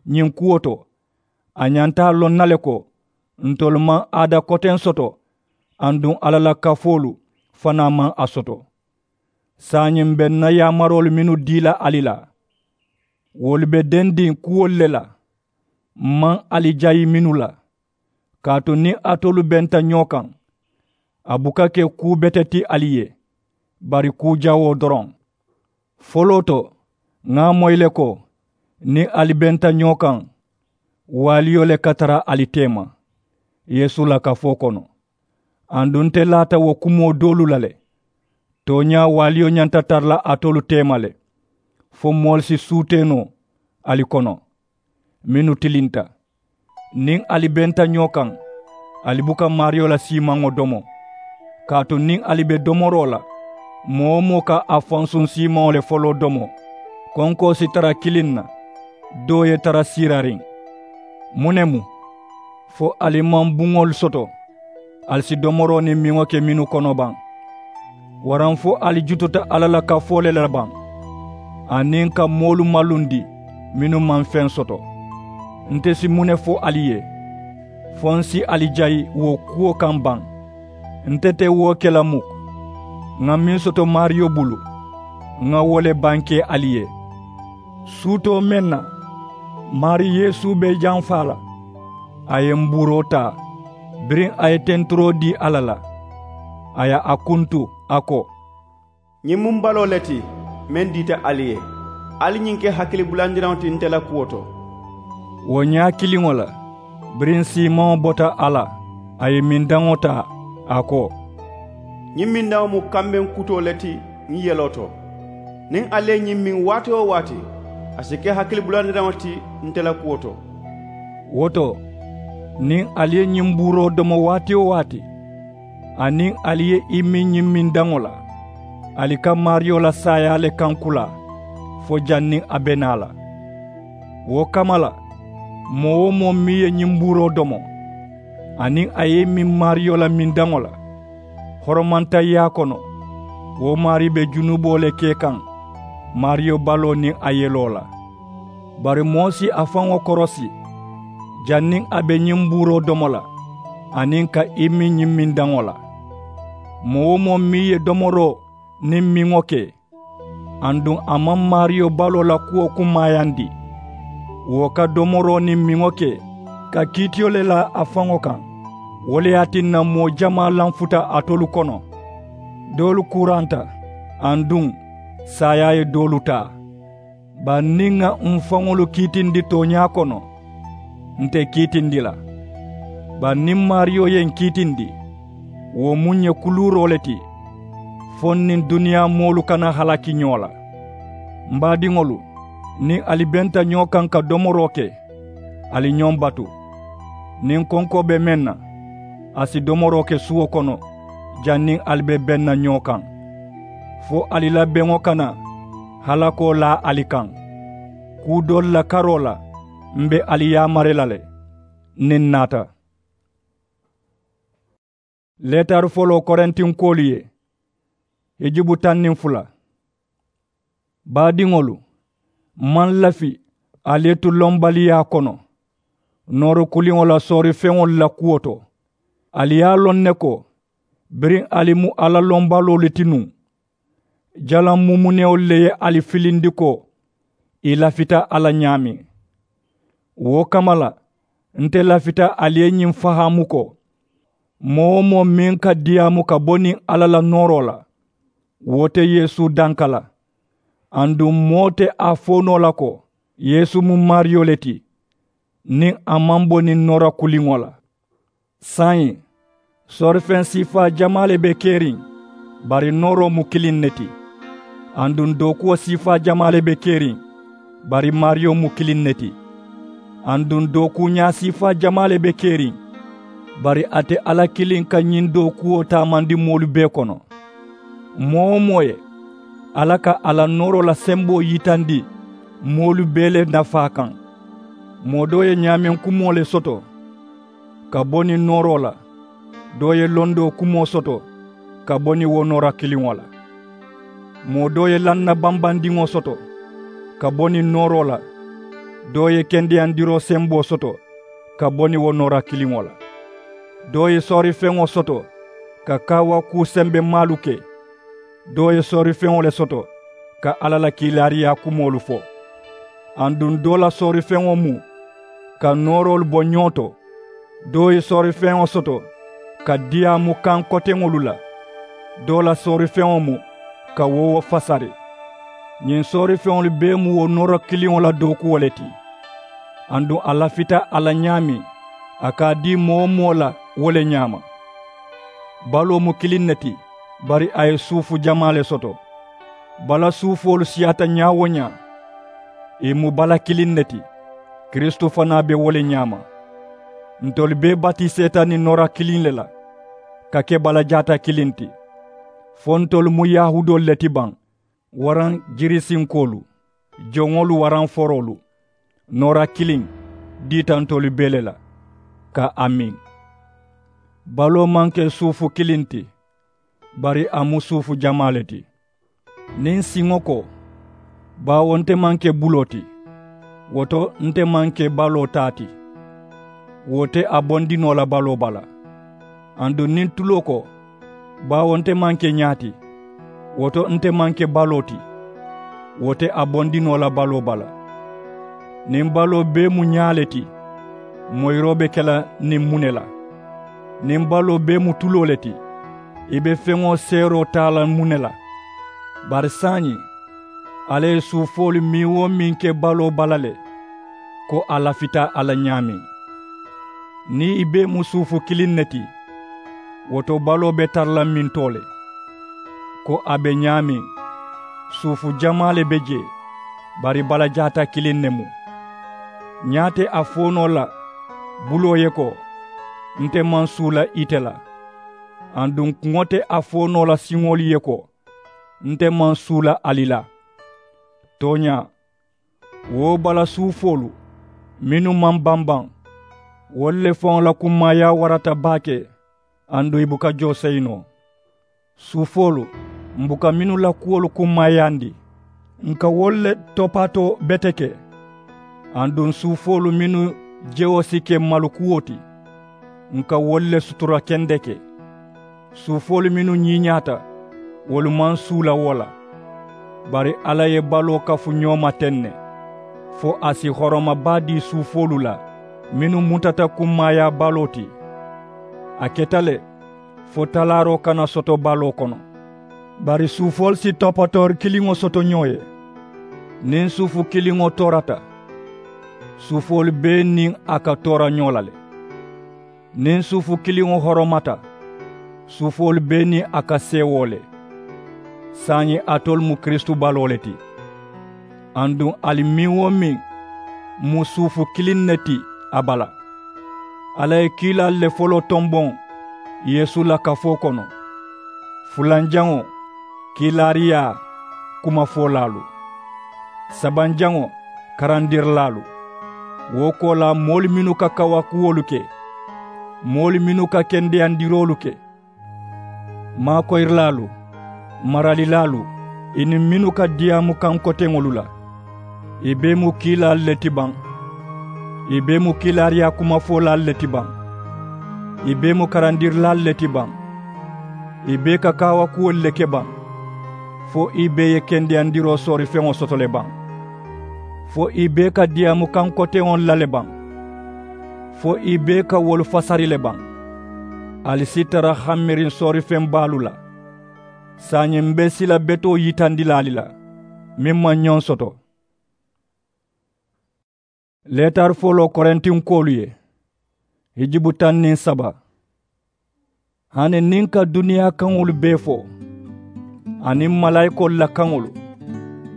ñiŋ kuwo to, a ñanta a loŋ na le ko, ntolu maŋ aada koteŋ soto, aduŋ alla la kafoolu fanaa maŋ a soto. Saayiŋ m̀ be ǹ na yaamaroolu mennu dii la ali la, wolu be dendiŋ kuwolu le la, m̀ maŋ ali jayi mennu la. Kaatu niŋ alitolu benta ñoo kaŋ, a buka ke kuu bete ti ali ye, bari kuu jawoo doroŋ. Foloo to, ŋa a moyi le ko, niŋ ali benta ñoo kaŋ, waaliyo le ka tara ali teema yeesu la kafoo kono. Aduŋ nte laata wo kumoo doolu la le. Tooñaa, waaliyo ñanta tara la alitolu teema le, fo moolu si suutee noo ali kono, mennu tilinta. Niŋ ali benta ñoo kaŋ, ali buka maariyo la siimaŋo domo. Kaatu niŋ ali be domoroo la, Moo-wo-moo ka a fansuŋ siimaŋo le foloo domo. Konkoo si tara kiliŋ na, doo ye tara siirariŋ. Muŋ ne mu? Fo ali maŋ buŋolu soto, ali si domoroo niŋ miŋo ke mennu kono baŋ? Waraŋ fo ali jututa alla la kafoo le la baŋ, aniŋ ka moolu malundi mennu maŋ feŋ soto? Nte si muŋ ne fo ali ye? Fo ǹ si ali jayi wo kuwo kaŋ baŋ? Nte te wo ke la muk. Ŋà meŋ soto maariyo bulu, ŋà wo le bankee ali ye. Suutoo meŋ na, maarii yeesu be i janfaa la, a ye mbuuroo taa, biriŋ a ye tenturoo dii alla la, a ye a kuntu, a ko, ñiŋ mu m̀ baloo le ti, meŋ diita ali ye. Ali ñiŋ ke hakilibulandiraŋo ti nte la kuwo to. Wo ñaa kiliŋo la, biriŋ siimaŋo bota a la, a ye mindaŋo taa, a ko, ñiŋ mindaŋo mu kambeŋ kutoo le ti ǹ yeloo to. Niŋ ali ye ñiŋ miŋ waati-wo-waati, a si ke hakilibulandiraŋo ti nte la kuwo to. Wo to, niŋ ali ye ñiŋ mbuuroo domo waati-wo-waati, aniŋ ali ye i miŋ ñiŋ mindaŋo la, ali ka maariyo la saayaa le kaŋ kulaa, fo janniŋ a be naa la. Wo kamma la, moo-wo-moo meŋ ye ñiŋ mbuuroo domo, aniŋ a ye i miŋ maariyo la mindaŋo la, horomantayyaa kono, wo maarii be junuboo le ke kaŋ maariyo baloo niŋ a yeloo la. Bari moo si a faŋo korosi, janniŋ a be ñiŋ mbuuroo domo la, aniŋ ka i miŋ ñiŋ mindaŋo la. Moo-wo-moo meŋ ye domoroo niŋ miŋo ke, aduŋ a maŋ maariyo baloo la kuwo kunmaayandi, wo ka domoroo niŋ miŋo ke ka kiitiyo le laa a faŋo kaŋ. Wo le ye a tinna moo jamaa lanfuta alitolu kono, doolu kuuranta, aduŋ saayaa ye doolu taa. Bari niŋ ŋà m̀ faŋolu kiitindi tooñaa kono, nte kiitindi la. Bari niŋ maariyo ye ǹ kiitindi, wo mu ǹ ye kuluuroo le ti, fo ǹ niŋ duniyaa moolu kana halaki ñoo la. M̀ baadiŋolu, niŋ ali benta ñoo kaŋ ka domoroo ke, ali ñoŋ batu. Niŋ konkoo be meŋ na, a si domoroo ke suwo kono, janniŋ ali be beŋ na ñoo kaŋ, fo ali la beŋo kana halakoo laa ali kaŋ. Kuu doolu la karoo la, m̀ be ali yaamari la le, niŋ ǹ naata. Leetari foloo korintinkoolu ye, hijubu taŋ niŋ fula. Baadiŋolu, m maŋ lafi ali ye tu lombaliyaa kono nooro kuliŋo la soorifeŋolu la kuwo to. Ali ye a loŋ ne ko, biriŋ ali mu alla lombaloolu ti nuŋ, jalaŋ mumunewolu le ye ali filindi ko i lafita a la ñaameŋ. Wo kamma la, nte lafita ali ye ñiŋ fahaamu ko, moo-wo-moo meŋ ka diyaamu ka bo niŋ alla la nooroo la, wo te yeesu danka la. Aduŋ moo te a fo noo la ko, yeesu mu maariyo le ti, niŋ a maŋ bo niŋ noora kuliŋo la. Saayiŋ, soorifeŋ siifaa jamaa le be keriŋ, bari nooroo mu kiliŋ ne ti. Aduŋ dookuwo siifaa jamaa le be keriŋ, bari maariyo mu kiliŋ ne ti. Aduŋ dookuuñaa siifaa jamaa le be keriŋ, bari a te alla kiliŋ ka ñiŋ dookuwo taamandi moolu bee kono. Moo-wo-moo ye, alla ka a la nooroo la semboo yitandi moolu bee le nafaa kaŋ. Moo doo ye ñaameŋ kumoo le soto ka bo niŋ nooroo la, doo ye londoo kumoo soto ka bo niŋ wo noora kiliŋo la. Moo doo ye lanna bambandiŋo soto ka bo niŋ nooroo la, doo ye kendeyandiroo semboo soto ka bo niŋ wo noora kiliŋo la. Doo ye soorifeŋo soto ka kaawakuu sembemaalu ke, doo ye soorifeŋo le soto ka alla la kiilaariyaa kumoolu fo. Aduŋ doo la soorifeŋo mu ka nooroolu bo ñoo to, doo ye soorifeŋo soto ka diyaamu kaŋ koteŋolu la, doo la soorifeŋo mu ka woowo fasari. Ñiŋ soorifeŋolu bee mu wo noora kiliŋo la dookuwo le ti. Aduŋ a lafita a la ñaameŋ, a ka a dii moo-wo-moo la wo le ñaama. Baloo mu kiliŋ ne ti, bari a ye suufu jamaa le soto. Bala suufoolu siyaata ñaa-wo-ñaa, ì mu bala kiliŋ ne ti, kiristu fanaa be wo le ñaama. Ntolu bee batiseeta niŋ noora kiliŋ le la ka ke bala jaata kiliŋ ti. Fo ntolu mu yahuudoolu le ti baŋ, waraŋ jirisinkoolu, joŋolu waraŋ foroolu? Noora kiliŋ diita ntolu bee le la, ka a miŋ. Baloo maŋ ke suufu kiliŋ ti, bari a mu suufu jamaa le ti. Niŋ siŋo ko, baawo nte maŋ ke buloo ti, wo to nte maŋ ke baloo taa ti, wo te a bondi noo la baloo bala. Aduŋ niŋ tuloo ko, baawo nte maŋ ke ñaa ti, wo to nte maŋ ke baloo ti, wo te a bondi noo la baloo bala. Niŋ baloo bee mu ñaa le ti, moyiroo be ke la niŋ muŋ ne la? Niŋ baloo bee mu tuloo le ti, i be feŋo seeroo taa la muŋ ne la? Bari saayiŋ, alla ye suufoolu meŋ-wo-meŋ ke baloo bala le, ko a lafita a la ñaameŋ. Niŋ i bee mu suufu kiliŋ ne ti, wo to baloo be tara la mintoo le? Ko a be ñaameŋ, suufu jamaa le be jee, bari balajaata kiliŋ ne mu. Ñaa te a fo noo la buloo ye ko, nte maŋ suula ite la? Aduŋ kuŋo te a fo noo la siŋolu ye ko, nte maŋ suula ali la? Tooñaa, wo bala suufoolu mennu maŋ bambaŋ, wolu le faŋo la kummaayaa warata baake. Aduŋ i buka joo seyi noo. Suufoolu, m buka mennu la kuwolu kummaayaandi, n ka wolu le topaatoo beteke. Aduŋ suufoolu mennu jewo si ke malukuwo ti, n ka wolu le sutura kendeke. Suufoolu mennu ñiiñaata, wolu maŋ suula wo la. Bari alla ye baloo kafu ñoo ma teŋ ne, fo a si horoma baa dii suufoolu la mennu mutata kummaayaa baloo ti. A keta le fo talaaroo kana soto baloo kono. Bari suufoolu si topatoori kiliŋo soto ñoo ye. Niŋ suufu kiliŋo toorata, suufoolu bee niŋ a ka toora ñoo la le. Niŋ suufu kiliŋo horomata, suufoolu bee niŋ a ka seewoo le. Saayiŋ alitolu mu kiristu baloo le ti. Aduŋ ali meŋ-wo-meŋ mu suufu kiliŋ ne ti a bala. Alla ye kiilaalu le foloo tomboŋ yeesu la kafoo kono, fulanjaŋo kiilaariyaa kumafolaalu, sabanjaŋo karandirilaalu. Wo koolaa moolu mennu ka kaawakuwolu ke, moolu mennu ka kendeyandiroolu ke, maakoyirilaalu, maralilaalu, ì niŋ mennu ka diyaamu kaŋ koteŋolu la, ì bee mu kiilaalu le ti baŋ? Ì bee mu kiilaariyaa kumafolaalu le ti baŋ? Ì bee mu karandirilaalu le ti baŋ? Ì bee ka kaawakuwolu le ke baŋ? Fo ì bee ye kendeyandiroo soorifeŋo soto le baŋ? Fo ì bee ka diyaamu kaŋ koteŋolu la le baŋ? Fo ì bee ka wolu fasari le baŋ? Ali si tara hammiriŋ soorifeŋ baalu la. Saayiŋ m be sila betoo yitandi la ali la, meŋ maŋ ñoŋ soto. Leetari foloo korintinkoolu ye, hijubu taŋ niŋ saba. Hani niŋ ka duniyaa kaŋolu bee fo, aniŋ malaayikoolu la kaŋolu,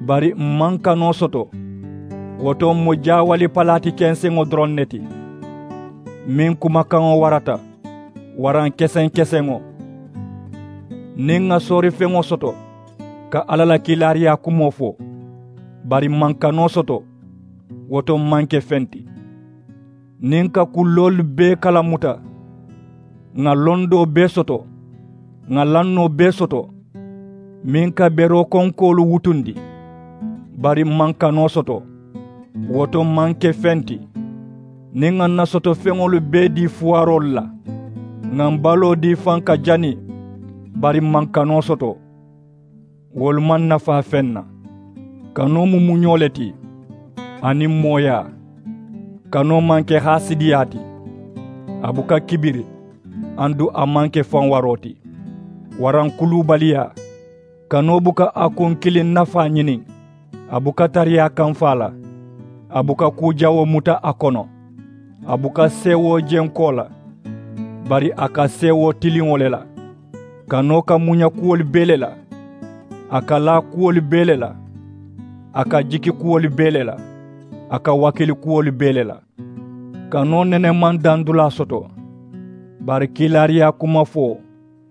bari m maŋ kanoo soto, wo to m mu jaawali palaati kenseŋo doroŋ ne ti, meŋ kumakaŋo warata, waraŋ keseŋ-keseŋo. Niŋ ŋà soorifeŋo soto ka alla la kiilaariyaa kumoo fo, bari m maŋ kanoo soto, wo to m maŋ ke feŋ ti. Niŋ ŋà kulloolu bee kalamuta, ŋà londoo bee soto, ŋà lannoo bee soto, meŋ ka beroo konkoolu wutundi, bari m maŋ kanoo soto, wo to m maŋ ke feŋ ti. Niŋ ŋà ǹ na sotofeŋolu bee dii fuwaaroolu la, ŋà m baloo dii faŋ ka jani, bari m maŋ kanoo soto, wolu maŋ nafaa feŋ na. Kanoo mu muñoo le ti, aniŋ mooyaa. Kanoo maŋ ke haasidiyaa ti, a buka kibiri, aduŋ a maŋ ke fanwaroo ti, waraŋ kuluubaliyaa. Kanoo buka a kuŋ kiliŋ nafaa ñiniŋ, a buka tariyaa kamfaa la, a buka kuu jawoo muta a kono, a buka seewoo jenkoo la, bari a ka seewoo tiliŋo le la. Kanoo ka muña kuwolu bee le la, a ka laa kuwolu bee le la, a ka jiki kuwolu bee le la, a ka wakili kuwolu bee le la. Kanoo nene maŋ dandulaa soto, bari kiilaariyaa kumafoo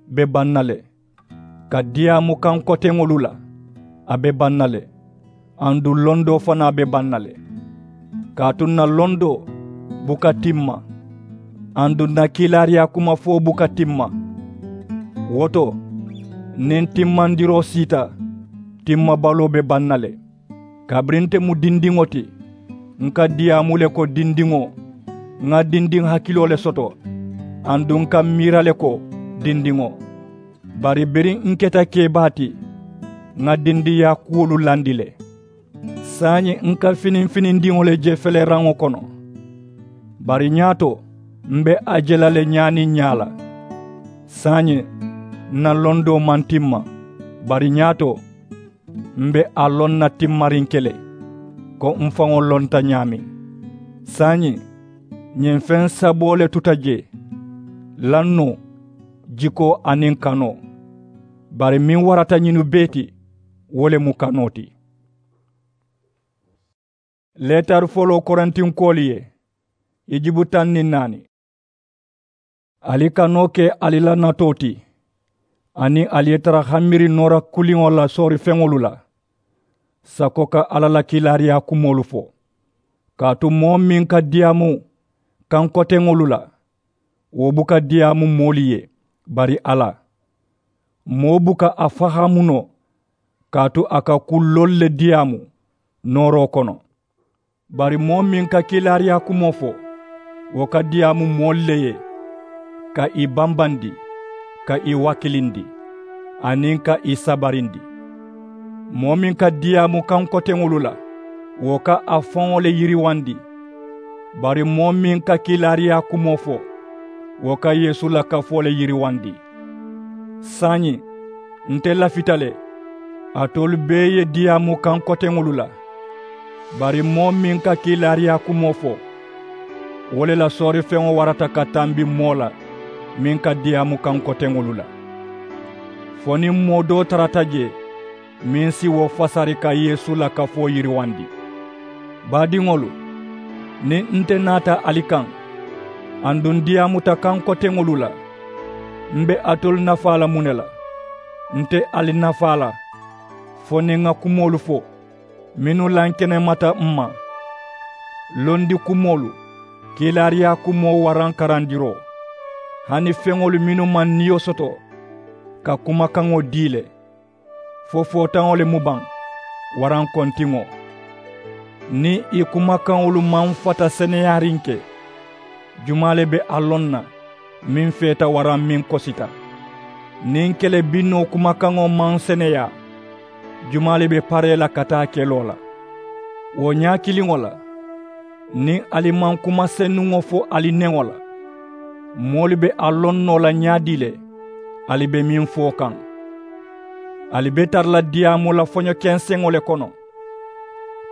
be baŋ na le. Ka diyaamu kaŋ koteŋolu la, a be baŋ na le. Aduŋ londoo fanaa be baŋ na le. Kaatu ǹ na londoo buka timma. Aduŋ ǹ na kiilaariyaa kumafoo buka timma. Wo to, niŋ timmandiroo siita, timmabaloo be baŋ na le. Kabiriŋ nte mu dindiŋo ti, ǹ ka diyaamu le ko dindiŋo, ŋa dindiŋ hakiloo le soto. Aduŋ ǹ ka miira le ko dindiŋo. Bari biriŋ ǹ keta kebaa ti, ŋa dindiŋyaa kuwolu landi le. Saayiŋ ǹ ka finiŋ finindiŋo le je feleraŋo kono. Bari ñaato, m̀ be a je la le ñaa niŋ ñaa la. Saayiŋ ǹ na londoo maŋ timma. Bari ñaato, m̀ be a loŋ na timmariŋ ke le, ko m̀ faŋo lonta ñaameŋ. Saayiŋ ñiŋ feŋ saboo le tuta je, lannoo, jikoo aniŋ kanoo. Bari meŋ warata ñinu bee ti, wo le mu kanoo ti. Leetari foloo korintinkoolu ye, i jibu taŋ niŋ naani. Ali kanoo ke ali la natoo ti, aniŋ ali ye tara hamiri noora kuliŋo la soorifeŋolu la, sako ka alla la kiilaariyaa kumoolu fo. Kaatu moo meŋ ka diyaamu kaŋ koteŋolu la, wo buka diyaamu moolu ye, bari alla. Moo buka a fahaamu noo, kaatu a ka kulloolu le diyaamu nooroo kono. Bari moo meŋ ka kiilaariyaa kumoo fo, wo ka diyaamu moolu le ye, ka ì bambandi, ka ì wakilindi, aniŋ ka ì sabarindi. Moo meŋ ka diyaamu kaŋ koteŋolu la, wo ka a faŋo le yiriwandi. Bari moo meŋ ka kiilaariyaa kumoo fo, wo ka yeesu la kafoo le yiriwandi. Saayiŋ nte lafita le, alitolu bee ye diyaamu kaŋ koteŋolu la. Bari moo meŋ ka kiilaariyaa kumoo fo, wo le la soorifeŋo warata ka tambi moo la meŋ ka diyaamu kaŋ koteŋolu la. Fo niŋ moo doo tarata je, meŋ si wo fasari ka yeesu la kafoo yiriwandi. Baadiŋolu, niŋ nte naata ali kaŋ, aduŋ ǹ diyaamuta kaŋ koteŋolu la, m̀ be alitolu nafaa la muŋ ne la? Nte ali nafaa la, fo niŋ ŋa kumoolu fo mennu lankenemata m̀ ma. Londi kumoolu, kiilaariyaa kumoo waraŋ karandiroo, hani feŋolu mennu maŋ niyo soto, ka kumakaŋo dii le. Fo footaŋo le mu baŋ, waraŋ kontiŋo. Niŋ ì kumakaŋolu maŋ fata seneyaariŋ ke, jumaa le be a loŋ na, meŋ feeta waraŋ meŋ kosita? Niŋ kele binnoo kumakaŋo maŋ seneyaa, jumaa le be paree la ka taa keloo la? Wo ñaa kiliŋo la, niŋ ali maŋ kuma senuŋo fo ali neŋo la, moolu be a loŋ noo la ñaadii le? Ali be meŋ fo kaŋ, ali be tara la diyaamu la foño kenseŋo le kono.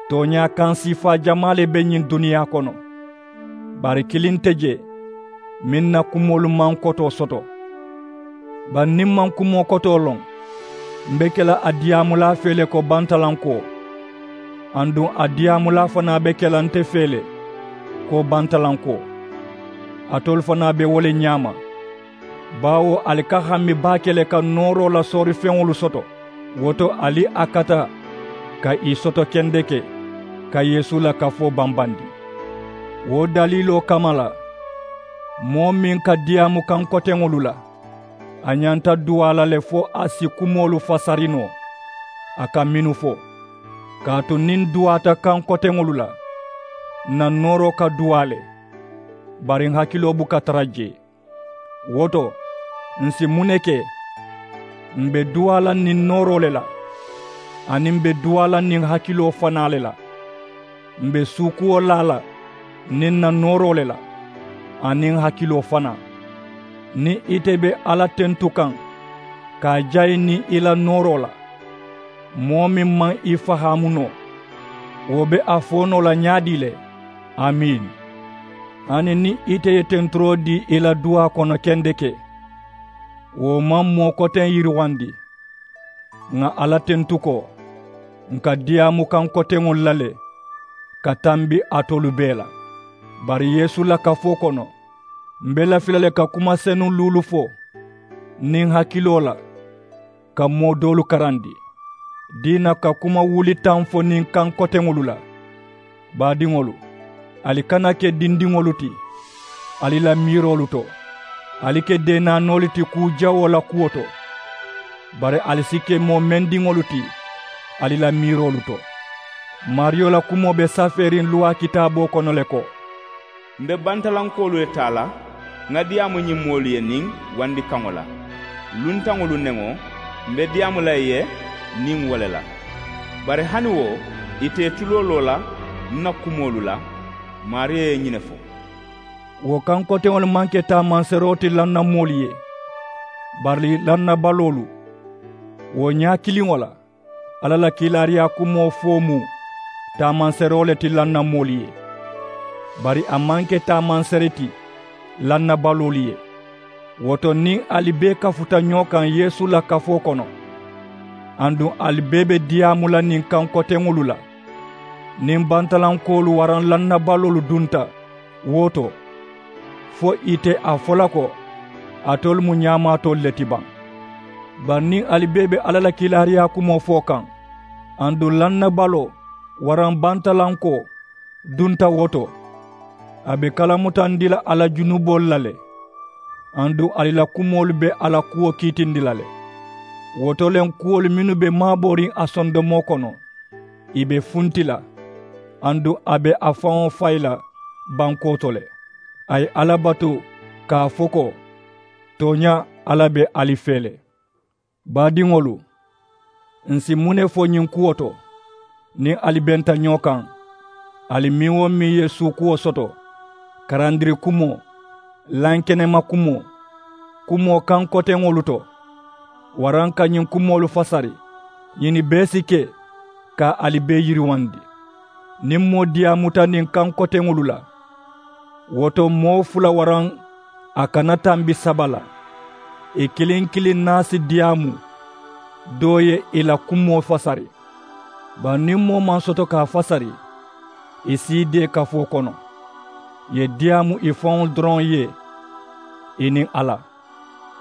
Tooñaa kaŋ siifaa jamaa le be ñiŋ duniyaa kono, bari kiliŋ nte je, meŋ na kumoolu maŋ kotoo soto. Bari niŋ m̀ maŋ kumoo kotoo loŋ, m̀ be ke la a diyaamulaa fee le ko bantalankoo. Aduŋ a diyaamulaa fanaa be ke la nte fee le ko bantalankoo. Alitolu fanaa be wo le ñaama, baawo ali ka hami baake le ka nooroo la soorifeŋolu soto. Wo to ali a kata ka ì soto kendeke, ka yeesu la kafoo bambandi. Wo daliiloo kamma la, moo meŋ ka diyaamu kaŋ koteŋolu la, a ñanta duwaa la le fo a si kumoolu fasari noo, a ka mennu fo. Kaatu niŋ ǹ duwaata kaŋ koteŋolu la, ǹ na nooroo ka duwaa le, bari ǹ hakiloo buka tara jee. Wo to, ǹ si muŋ ne ke? M̀ be duwaa la niŋ nooroo le la, aniŋ m̀ be duwaa la niŋ hakiloo fanaa le la. M̀ be suukuwo laa la niŋ ǹ na nooroo le la, aniŋ hakiloo fanaa. Niŋ ite be alla tentu kaŋ, ka a jayi niŋ i la nooroo la, moo meŋ maŋ i fahaamu noo, wo be a fo noo la ñaadii le? Amiin. Hani niŋ ite ye tenturoo dii i la duwaa kono kendeke, wo maŋ moo koteŋ yiriwandi. Ŋà alla tentu ko, ǹ ka diyaamu kaŋ koteŋolu la le ka tambi alitolu bee la. Bari yeesu la kafoo kono, m̀ be lafi la le ka kuma senuŋ luulu fo niŋ hakiloo la, ka moo doolu karandi diina ka kuma wuli taŋ fo niŋ kaŋ koteŋolu la. Baadiŋolu, ali kana ke dindiŋolu ti ali la miiroolu to. Ali ke deenaanoolu ti kuu jawoo la kuwo to. Bari ali si ke moo mendiŋolu ti ali la miiroolu to. Maariyo la kumoo be safeeriŋ luwaa kitaaboo kono le ko, m̀ be bantalankoolu le taa la ŋà diyaamu ñiŋ moolu ye niŋ wandikaŋo la. Luntaŋolu neŋo, m̀ be diyaamu la ì ye niŋ wo le la. Bari hani wo, ì te ì tuloo loo la ǹ na kumoolu la. Maariyo ye ñiŋ ne fo. Wo kankoteŋolu maŋ ke taamanseeroo ti lannamoolu ye, bari lannabaloolu. Wo ñaa kiliŋo la, alla la kiilaariyaa kumoo fo mu taamanseeroo le ti lannamoolu ye, bari a maŋ ke taamanseere ti lannabaloolu ye. Wo to niŋ ali bee kafuta ñoo kaŋ yeesu la kafoo kono, aduŋ ali bee be diyaamu la niŋ kankoteŋolu la, niŋ bantalankoolu waraŋ lannabaloolu dunta wo to, fo ì te a fo la ko alitolu mu ñaamaatoolu le ti baŋ? Bari niŋ ali bee be alla la kiilaariyaa kumoo fo kaŋ, aduŋ lannabaloo waraŋ bantalankoo dunta wo to, a be kalamutandi la a la junuboolu la le. Aduŋ ali la kumoolu be a la kuwo kiitindi la le. Wo to le ǹ kuwolu mennu be maabooriŋ a sondomoo kono, ì be funti la, aduŋ a be a faŋo fayi la bankoo to le. A ye alla batu ka a fo ko, tooñaa, alla be ali fee le. Baadiŋolu, ǹ si muŋ ne fo ñiŋ kuwo to? Niŋ ali benta ñoo kaŋ, ali meŋ-wo-meŋ ye suukuwo soto, karandiri kumoo, lankenema kumoo, kumoo kaŋ koteŋolu to, waraŋ ka ñiŋ kumoolu fasari, ñinnu bee si ke ka ali bee yiriwandi. Niŋ moo diyaamuta niŋ kaŋ koteŋolu la, wo to moo fula waraŋ a kana tambi saba la, ì kiliŋ kiliŋ naa si diyaamu doo ye ì la kumoo fasari. Bari niŋ moo maŋ soto ka a fasari, ì si ì dee kafoo kono. Ì ye diyaamu ì faŋo doroŋ ye, ì niŋ alla.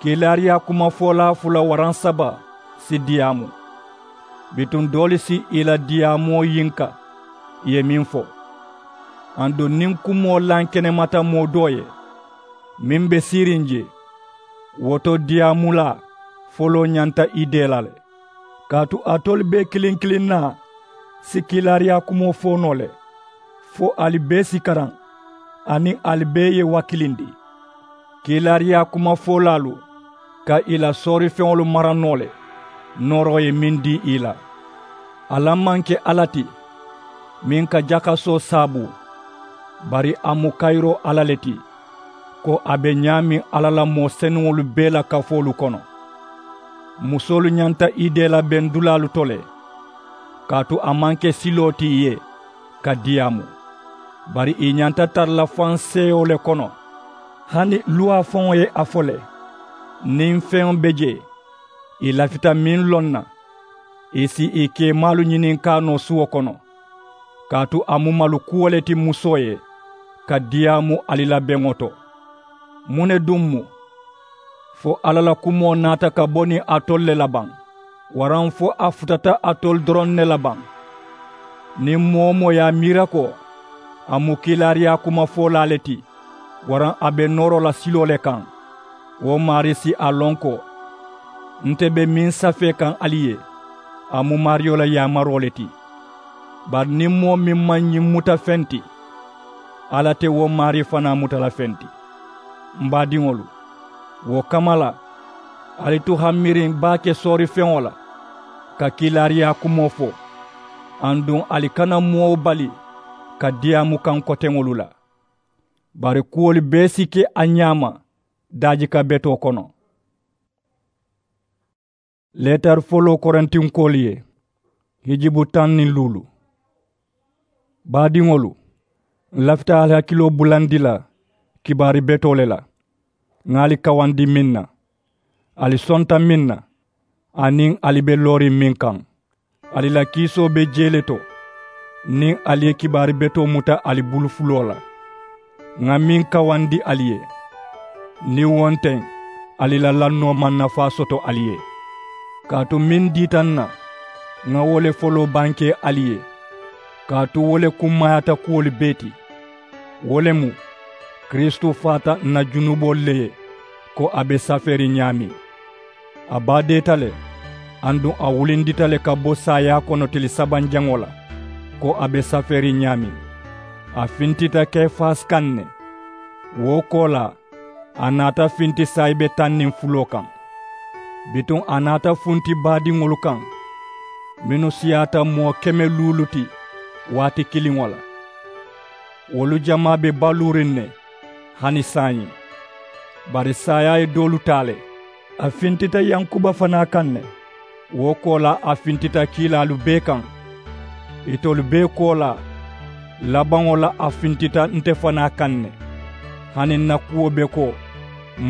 Kiilaariyaa kumafoolaa fula waraŋ saba si diyaamu. Bituŋ doolu si ì la diyaamoo yinka ì ye meŋ fo. Aduŋ niŋ kumoo lankenemata moo doo ye, meŋ be siiriŋ jee, wo to diyaamulaa foloo ñanta ì dee la le. Kaatu alitolu bee kiliŋ kiliŋ naa si kiilaariyaa kumoo fo noo le, fo ali bee si karaŋ, aniŋ ali bee ye wakilindi. Kiilaariyaa kumafoolaalu ka ì la soorifeŋolu mara noo le, nooroo ye meŋ dii ì la. Alla maŋ ke alla ti meŋ ka jakasoo saabu, bari a mu kayiroo alla le ti, ko a be ñaameŋ alla la moo senuŋolu bee la kafoolu kono. Musoolu ñanta ì dee la beŋ dulaalu to le, kaatu a maŋ ke siloo ti ì ye ka diyaamu, bari ì ñanta tara la faŋ seeyoo le kono. Hani luwaa faŋo ye a fo le, niŋ feŋ be jee, ì lafita meŋ loŋ na, ì si ì keemaalu ñininkaa noo suwo kono. Kaatu a mu malu kuwo le ti musoo ye ka diyaamu ali la beŋo to. Muŋ ne duŋ mu? Fo alla la kumoo naata ka bo niŋ alitolu le la baŋ, waraŋ fo a futata alitolu doroŋ ne la baŋ? Niŋ moo-wo-moo ye a miira ko a mu kiilaariyaa kumafoolaa le ti, waraŋ a be nooroo la siloo le kaŋ, wo maarii si a loŋ ko nte be meŋ safee kaŋ ali ye, a mu maariyo la yaamaroo le ti. Bari niŋ moo meŋ maŋ ñiŋ muta feŋ ti, alla te wo maarii fanaa muta la feŋ ti. M baadiŋolu, wo kamma la, ali tu hammiriŋ baake soorifeŋo la ka kiilaariyaa kumoo fo, aduŋ ali kana moo bali ka diyaamu kaŋ koteŋolu la. Bari kuwolu bee si ke a ñaama daajika betoo kono. Leetari foloo korintinkoolu ye, hijibu taŋ niŋ luulu. Baadiŋolu, ǹ lafita ali hakiloo bulandi la kibaari betoo le la, ŋà ali kawandi meŋ na, ali sonta meŋ na, aniŋ ali be looriŋ meŋ kaŋ. Ali la kiisoo be jee le to niŋ ali ye kibaari betoo muta ali bulu fuloo la. Ŋà meŋ kawandi ali ye, niŋ wo nte, ali la lannoo maŋ nafaa soto ali ye. Kaatu meŋ diita ǹ na, ŋa wo le foloo bankee ali ye, kaatu wo le kummaayaata kuwolu bee ti. Wo le mu, kiristu faata ǹ na junuboolu le ye, ko a be safeeriŋ ñaameŋ. A baadeeta le, aduŋ a wulindita le ka bo saayaa kono tili sabanjaŋo la, ko a be safeeriŋ ñaameŋ. A fintita kefasi kaŋ ne. Wo koolaa, a naata finti saayibe taŋ niŋ fuloo kaŋ. Bituŋ a naata funti baadiŋolu kaŋ, mennu siyaata moo keme luulu ti waati kiliŋo la. Wolu jamaa be baluuriŋ ne hani saayiŋ. Bari saayaa ye doolu taa le. A fintita yankuba fanaa kaŋ ne. Wo koolaa a fintita kiilaalu bee kaŋ. Itolu bee koolaa, labaŋo la a fintita nte fanaa kaŋ ne, hani ǹ na kuwo be ko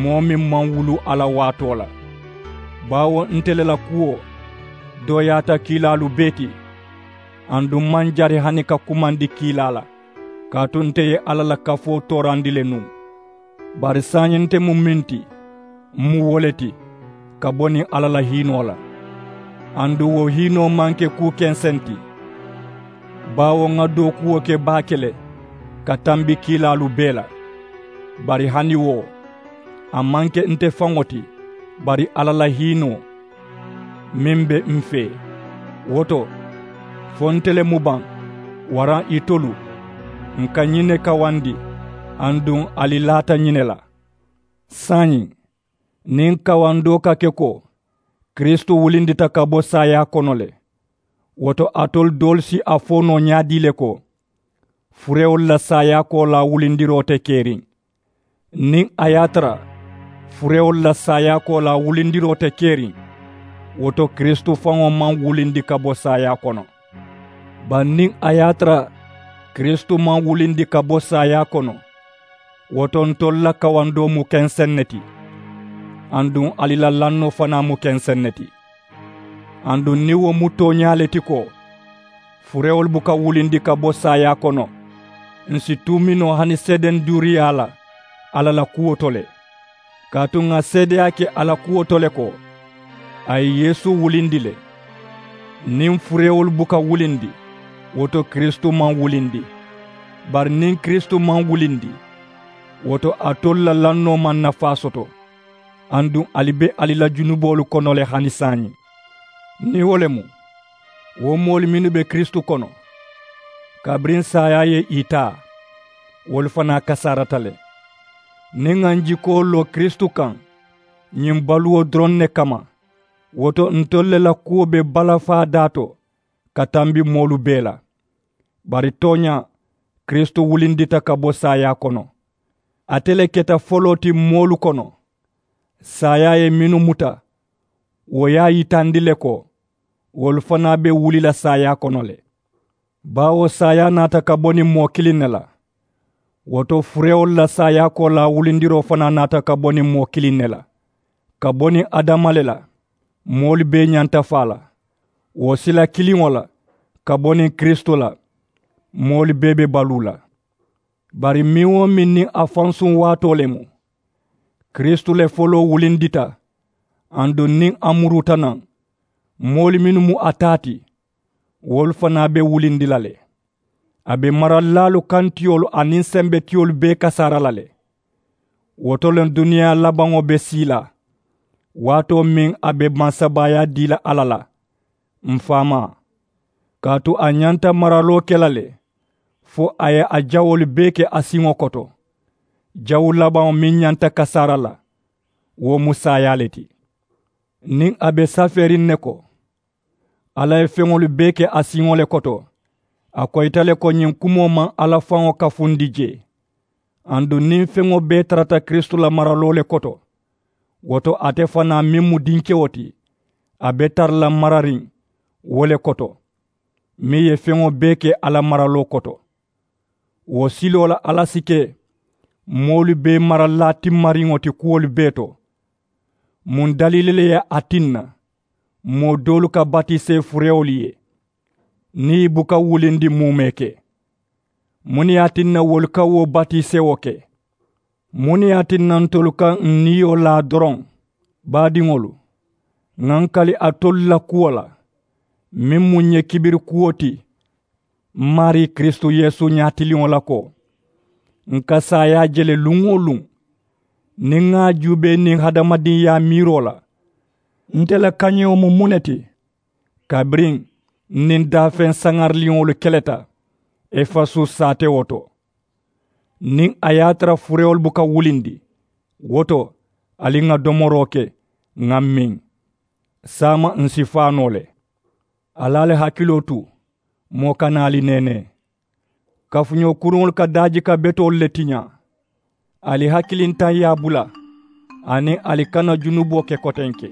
moo meŋ maŋ wulu a la waatoo la. Baawo nte le la kuwo dooyaata kiilaalu bee ti. Aduŋ maŋ jari hani ka kumandi kiilaa la, kaatu nte ye alla la kafoo toorandi le nuŋ. Bari saayiŋ nte mu meŋ ti, m mu wo le ti, ka bo niŋ alla la hiinoo la. Aduŋ wo hiinoo maŋ ke kuu kenseŋ ti, baawo ŋa dookuwo ke baake le ka tambi kiilaalu bee la. Bari hani wo, a maŋ ke nte faŋo ti, bari alla la hiinoo meŋ be m fee. Wo to, fo nte le mu baŋ, waraŋ itolu, ǹ ka ñiŋ ne kawandi, aduŋ ali laata ñiŋ ne la. Saayiŋ, niŋ kawandoo ka ke ko kiristu wulindita ka bo saayaa kono le, wo to alitolu doolu si a fo noo ñaadii le ko, furewolu la saayaa koolaa wulindiroo te keriŋ. Niŋ a ye a tara furewolu la saayaa koolaa wulindiroo te keriŋ, wo to kiristu faŋo maŋ wulindi ka bo saayaa kono. Bari niŋ a ye a tara kiristu maŋ wulindi ka bo saayaa kono, wo to ntolu la kawandoo mu kenseŋ ne ti, aduŋ ali la lannoo fanaa mu kenseŋ ne ti. Aduŋ niŋ wo mu tooñaa le ti ko furewolu buka wulindi ka bo saayaa kono, ǹ si tuumi noo hani seedenduuriyaa la alla la kuwo to le. Kaatu ŋà seedeyaa ke a la kuwo to le ko a ye yeesu wulindi le. Niŋ furewolu buka wulindi, wo to kiristu maŋ wulindi. Bari niŋ kiristu maŋ wulindi, wo to alitolu la lannoo maŋ nafaa soto, aduŋ ali be ali la junuboolu kono le hani saayiŋ. Niŋ wo le mu, wo moolu mennu be kiristu kono, kabiriŋ saayaa ye ì taa, wolu fanaa kasaarata le. Niŋ ŋà ǹ jikoo loo kiristu kaŋ ñiŋ baluwo doroŋ ne kamma, wo to ntolu le la kuwo be balafaa daa to ka tambi moolu bee la. Bari tooñaa, kiristu wulindita ka bo saayaa kono. Ate le keta foloo ti moolu kono, saayaa ye mennu muta, wo ye a yitandi le ko wolu fanaa be wuli la saayaa kono le. Baawo saayaa naata ka bo niŋ moo kiliŋ ne la, wo to furewolu la saayaa koolaa wulindiroo fanaa naata ka bo niŋ moo kiliŋ ne la. Ka bo niŋ adama le la, moolu bee ñanta faa la. Wo sila kiliŋo la, ka bo niŋ kiristu la, moolu bee be baluu la. Bari meŋ-wo-meŋ niŋ a fansuŋ waatoo le mu, kiristu le foloo wulindita. Aduŋ niŋ a muruuta naŋ, moolu mennu mu a taa ti, wolu fanaa be wulindi la le. A be maralilaalu kantiyolu aniŋ sembetiyolu bee kasaara la le. Wo to le duniyaa labaŋo be sii la, waatoo meŋ a be mansabaayaa dii la alla la, m faamaa. Kaatu a ñanta maraloo ke la le, fo a ye a jawoolu bee ke a siŋo koto. Jawu labaŋo meŋ ñanta kasaara la, wo mu saayaa le ti. Niŋ a be safeeriŋ ne ko alla ye feŋolu bee ke a siŋo le koto, a koyita le ko ñiŋ kumoo maŋ alla faŋo kafundi jee. Aduŋ niŋ feŋo bee tarata kiristu la maraloo le koto, wo to ate fanaa meŋ mu dinkewo ti, a be tara la marariŋ wo le koto, meŋ ye feŋo bee ke alla maraloo koto. Wo siloo la alla si ke moolu bee maralilaa timmariŋo ti kuwolu bee to. Muŋ daliili le ye a tinna moo doolu ka batisee furewolu ye, niŋ ì buka wulindi muumee ke? Muŋ ne ye a tinna wolu ka wo batisewo ke? Muŋ ne ye a tinna ntolu ka ǹ niyo laa doroŋ? Baadiŋolu, Ŋà n kali alitolu la kuwo la, meŋ mu ǹ ye kibiri kuwo ti, m maarii kiristu yeesu ñaatiliŋo la ko, ǹ ka saayaa je le luŋ-wo-luŋ, niŋ ŋà a juubee niŋ hadamadinyaa miiroo la. Nte la kañewo mu muŋ ne ti? Kabiriŋ n niŋ daafeŋ saŋariliŋolu keleta efasu saatewo to, niŋ a ye a tara furewolu buka wulindi, wo to, ali ŋà domoroo ke, ŋà miŋ. Saama ǹ si faa noo le. Ali ali hakiloo tu, moo kana ali neenee. Kafuñoo kuruŋolu ka daajika betoolu le tiñaa. Ali hakilintaŋyaa bula, aniŋ ali kana junuboo ke kotenke.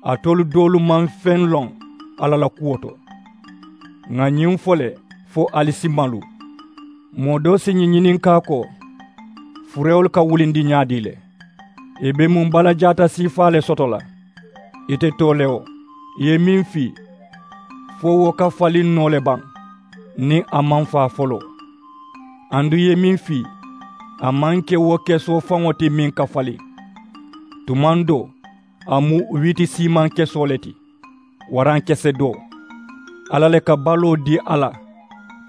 Alitolu doolu maŋ feŋ loŋ alla la kuwo to. Ŋà ñiŋ fo le, fo ali si malu. Moo doo si ñiŋ ñininkaa ko, furewolu ka wulindi ñaadii le? Ì be muŋ balajaata siifaa le soto la? Ì te too le wo, ì ye meŋ fii, fo wo ka faliŋ noo le baŋ, niŋ a maŋ faa foloo? Aduŋ ì ye meŋ fii, a maŋ ke wo kesoo faŋo ti meŋ ka faliŋ. Tumaŋ doo, a mu wiiti siimaŋ kesoo le ti, waraŋ kese doo. Alla le ka baloo dii a la,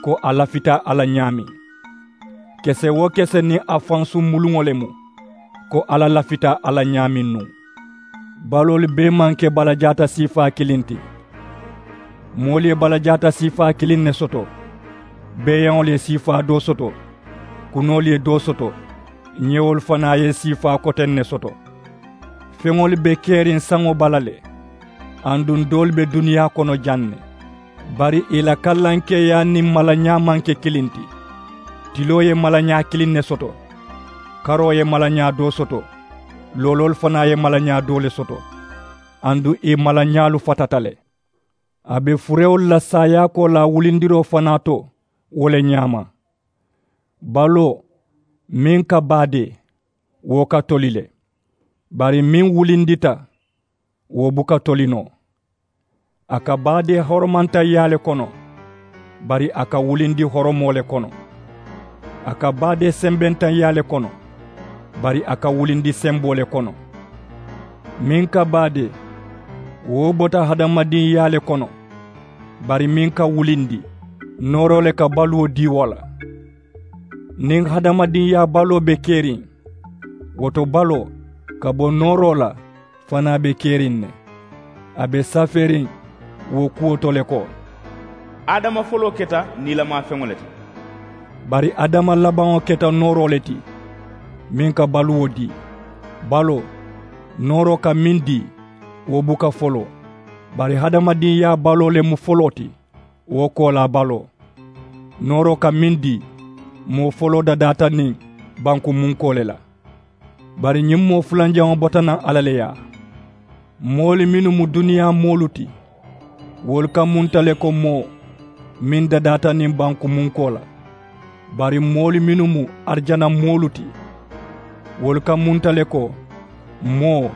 ko a lafita a la ñaameŋ. Kese-wo-kese niŋ a fansuŋ muluŋo le mu, ko alla lafita a la ñaameŋ nuŋ. Baloolu bee maŋ ke balajaata siifaa kiliŋ ti. Moolu ye balajaata siifaa kiliŋ ne soto. Beeyaŋolu ye siifaa doo soto. Kunoolu ye doo soto. Ñewolu fanaa ye siifaa koteŋ ne soto. Feŋolu be keriŋ saŋo bala le. Aduŋ doolu be duniyaa kono jaŋ ne. Bari ì la kallankeeyaa niŋ malañaa maŋ ke kiliŋ ti. Tiloo ye malañaa kiliŋ ne soto. Karoo ye malañaa doo soto. Looloolu fanaa ye malañaa doo le soto. Aduŋ ì malañaalu fatata le. A be furewolu la saayaakoo la wulindiroo fanaa to wo le ñaama. Baloo, meŋ ka baadee, wo ka toli le. Bari meŋ wulindita, wo buka toli noo. A ka baadee horomantaŋyaa le kono, bari a ka wulindi horomoo le kono. A ka baadee sembentaŋyaa le kono, bari a ka wulindi semboo le kono. Meŋ ka baadee, wo bota hadamadinyaa le kono, bari meŋ ka wulindi, nooroo le ka baluwo dii wo la. Niŋ hadamadinyaa baloo be keriŋ, wo to baloo ka bo nooroo la fanaa be keriŋ ne. A be safeeriŋ wo kuwo to le ko, adama foloo keta niilamaa feŋo le ti, bari adama labaŋo keta nooroo le ti, meŋ ka baluwo dii. Baloo, nooroo ka meŋ dii, wo buka foloo, bari hadamadinyaa baloo le mu foloo ti, wo koolaa baloo. Nooroo ka meŋ dii, moo foloo dadaata niŋ bankumunkoo le la. Bari ñiŋ moo fulanjaŋo bota naŋ alla le yaa. Moolu mennu mu duniyaa moolu ti, wolu ka munta le ko moo meŋ dadaata niŋ bankumunkoo la. Bari moolu mennu mu arijana moolu ti, wolu ka munta le ko moo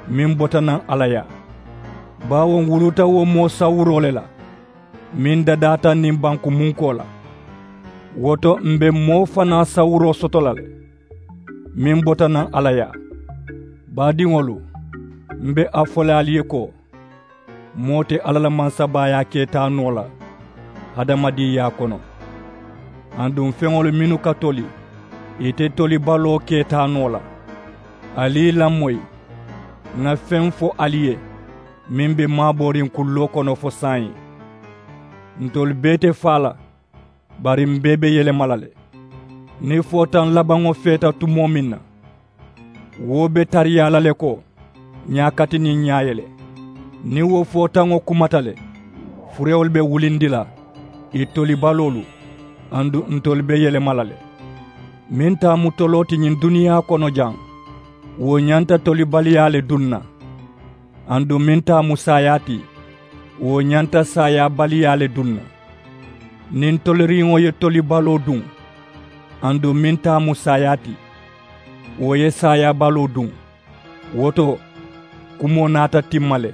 meŋ bota naŋ alla yaa. Baawo ǹ wuluta wo moo sawuroo le la, meŋ dadaata niŋ bankumunkoo la. Wo to m̀ be moo fanaa sawuroo soto la le, meŋ bota naŋ alla yaa. Baadiŋolu, m̀ be a fo le ali ye ko, moo te alla la mansabaayaa ke taa noo la hadamadinyaa kono. Aduŋ feŋolu mennu ka toli, ì te tolibaloo ke taa noo la. Ali ì lamoyi, ŋà feŋ fo ali ye, meŋ be maabooriŋ kulloo kono fo saayiŋ. Ntolu bee te faa la, bari m̀ bee be yelema la le. Niŋ footaŋ labaŋo feeta tumoo meŋ na, wo be tariyaa la le ko ñaakati niŋ ñaaye le. Niŋ wo footaŋo kumata le, furewolu be wulindi la ì tolibaloolu, aduŋ ntolu be yelema la le. Meŋ taa mu toloo ti ñiŋ duniyaa kono jaŋ, wo ñanta tolibaliyaa le duŋ na. Aduŋ meŋ taa mu saayaa ti, wo ñanta saayaabaliyaa le duŋ na. Niŋ toliriŋo ye tolibaloo duŋ, aduŋ meŋ taa mu saayaa ti, wo ye saayaabaloo duŋ. Wo to, kumoo naata timma le,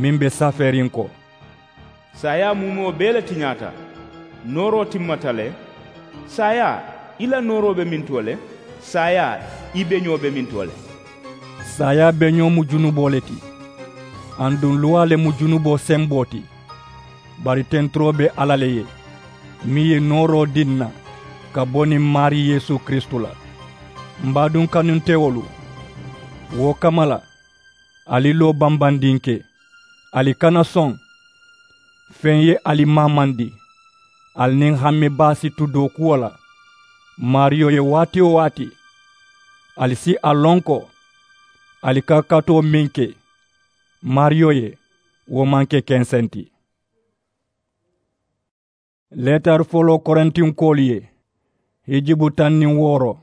meŋ be safeeriŋ ko, saayaa muumoo bee le tiñaata. Nooroo timmata le. Saayaa, i la nooroo be miŋ to le? Saayaa, i beñoo be miŋ to le? Saayaa beñoo mu junuboo le ti. Aduŋ luwaa le mu junuboo semboo ti. Bari tenturoo be alla le ye, meŋ ye nooroo dii ǹ na ka bo niŋ maarii yeesu kiristu la. M baaduŋ kanuntewolu, wo kamma la, ali loo bambandiŋ ke, ali kana soŋ. Feŋ ye ali maamandi, ali niŋ hamme baa si tu dookuwo la. Maariyo ye waati-wo-waati, ali si a loŋ ko ali ka katoo meŋ ke maariyo ye, wo maŋ ke kenseŋ ti. Leetari foloo korintinkoolu ye, hijibu taŋ niŋ wooro.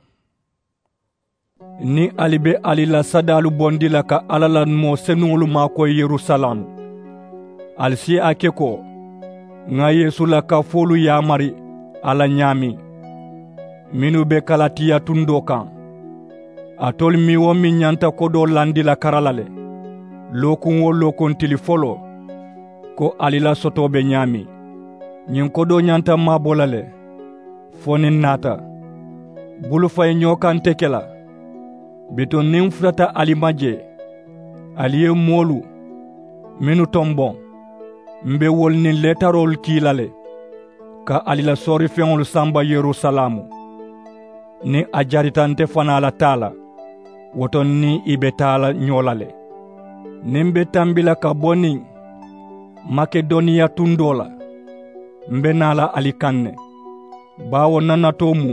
Niŋ ali be ali la sadaalu bondi la ka alla la moo senuŋolu maakoyi yerusalaamu, ali si a ke ko ŋa yeesu la kafoolu yaamari a la ñaameŋ, mennu be kalatiya tundoo kaŋ. Alitolu meŋ-wo-meŋ ñanta kodoo landi la kara la le, lookuŋ-wo-lookuŋ tili foloo, ko ali la sotoo be ñaameŋ. Ñiŋ kodoo ñanta maabo la le fo niŋ n naata. Bulufayiñoo kaŋ te ke la. Bituŋ niŋ n futata ali ma jee, ali ye moolu mennu tomboŋ, m be wolu niŋ leetaroolu kii la le ka ali la soorifeŋolu samba yerusalaamu. Niŋ a jarita nte fanaa la taa la, wo to n niŋ i be taa la ñoo la le. Niŋ m be tambi la ka bo niŋ makedoniya tundoo la, m be naa la ali kaŋ ne. Baawo n na natoo mu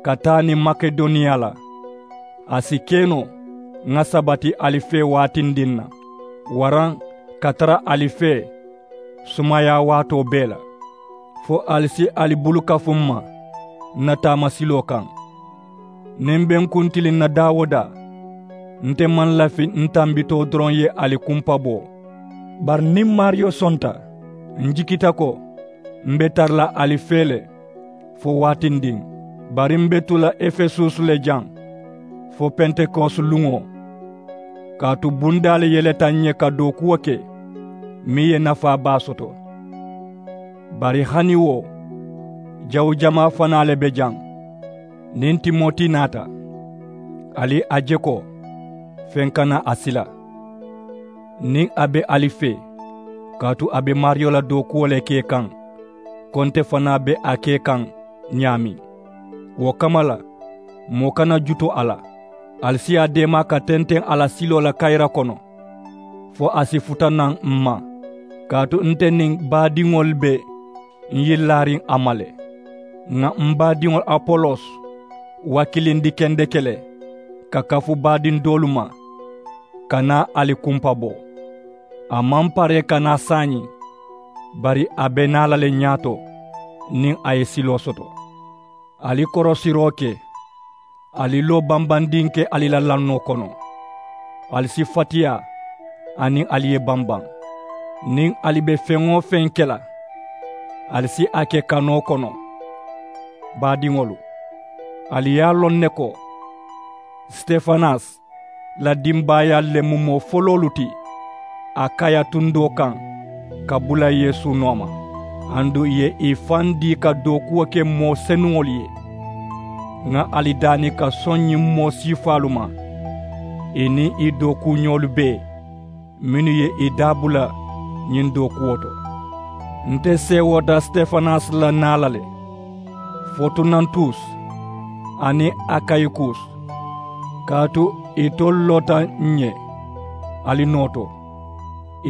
ka taa niŋ makedoniya la. A si ke noo ŋa sabati ali fee waatindiŋ na, waraŋ ka tara ali fee sumayaa waatoo bee la, fo ali si ali bulu kafu m ma n na taamasiloo kaŋ. Niŋ m be n kuntiliŋ na daa-wo-daa, nte maŋ lafi n tambitoo doroŋ ye ali kumpa bo. Bari niŋ maariyo sonta, n jikita ko m be tara la ali fee le fo waatindiŋ. Bari m be tu la efesusu le jaŋ fo pentekosi luŋo, kaatu bundaa le yeleta n ye ka dookuwo ke meŋ ye nafaa baa soto. Bari hani wo, jawu jamaa fanaa le be jaŋ. Niŋ timoti naata, ali a je ko feŋ kana a sila. Niŋ a be ali fee, kaatu a be maariyo la dookuwo le ke kaŋ, ko nte fanaa be a ke kaŋ ñaameŋ. Wo kamma la, moo kana jutu a la. Ali si a deema ka tenteŋ a la siloo la kayira kono, fo a si futa naŋ m ma. Kaatu nte niŋ baadiŋolu be n yillaariŋ a ma le. Ŋà m baadiŋo apolos wakilindi kendeke le ka kafu baadiŋ doolu ma, ka naa ali kumpa bo. A maŋ paree ka naa saayiŋ, bari a be naa la le ñaato niŋ a ye siloo soto. Ali korosiroo ke. Ali loo bambandiŋ ke ali la lannoo kono. Ali si fatiyaa aniŋ ali ye bambaŋ. Niŋ ali be feŋ-wo-feŋ ke la, ali si a ke kanoo kono. Baadiŋolu, ali ye a loŋ ne ko sitefanas la dimbaayaalu le mu moo foloolu ti akaya tundoo kaŋ ka bula yeesu nooma. Aduŋ ì ye ì faŋ dii ka dookuwo ke moo senuŋolu ye. Ŋa ali daani ka soŋ ñiŋ moo siifaalu ma, ì niŋ ì dookuuñoolu bee mennu ye ì daabula ñiŋ dookuwo to. Nte seewoota sitefanas la naa la le, fotunantus aniŋ akayikus, kaatu itolu loota ǹ ye ali noo to.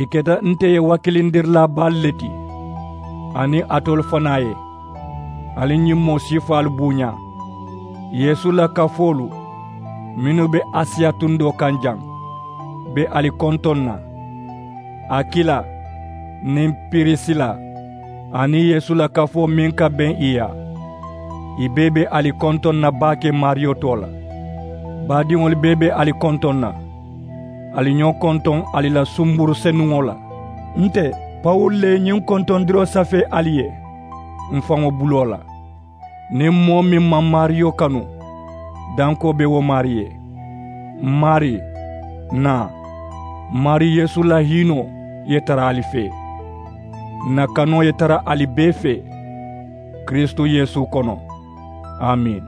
Ì keta nte ye wakilindirilaa baalu le ti aniŋ alitolu fanaa ye. Ali ñiŋ moo siifaalu buuñaa. Yeesu la kafoolu mennu be asiya tundoo kaŋ jaŋ be ali kontoŋ na. Akila niŋ pirisila aniŋ yeesu la kafoo meŋ ka beŋ ì yaa, ì bee be ali kontoŋ na baake maariyo too la. Baadiŋolu bee be ali kontoŋ na. Ali ñoo kontoŋ ali la sumburu senuŋo la. Nte pawulu le ye ñiŋ kontondiroo safee ali ye m faŋo buloo la. Niŋ moo meŋ maŋ maariyo kanu, dankoo be wo maarii ye. M maarii, naa. M maarii yeesu la hiinoo ye tara ali fee. N na kanoo ye tara ali bee fee kiristu yeesu kono. Amiini.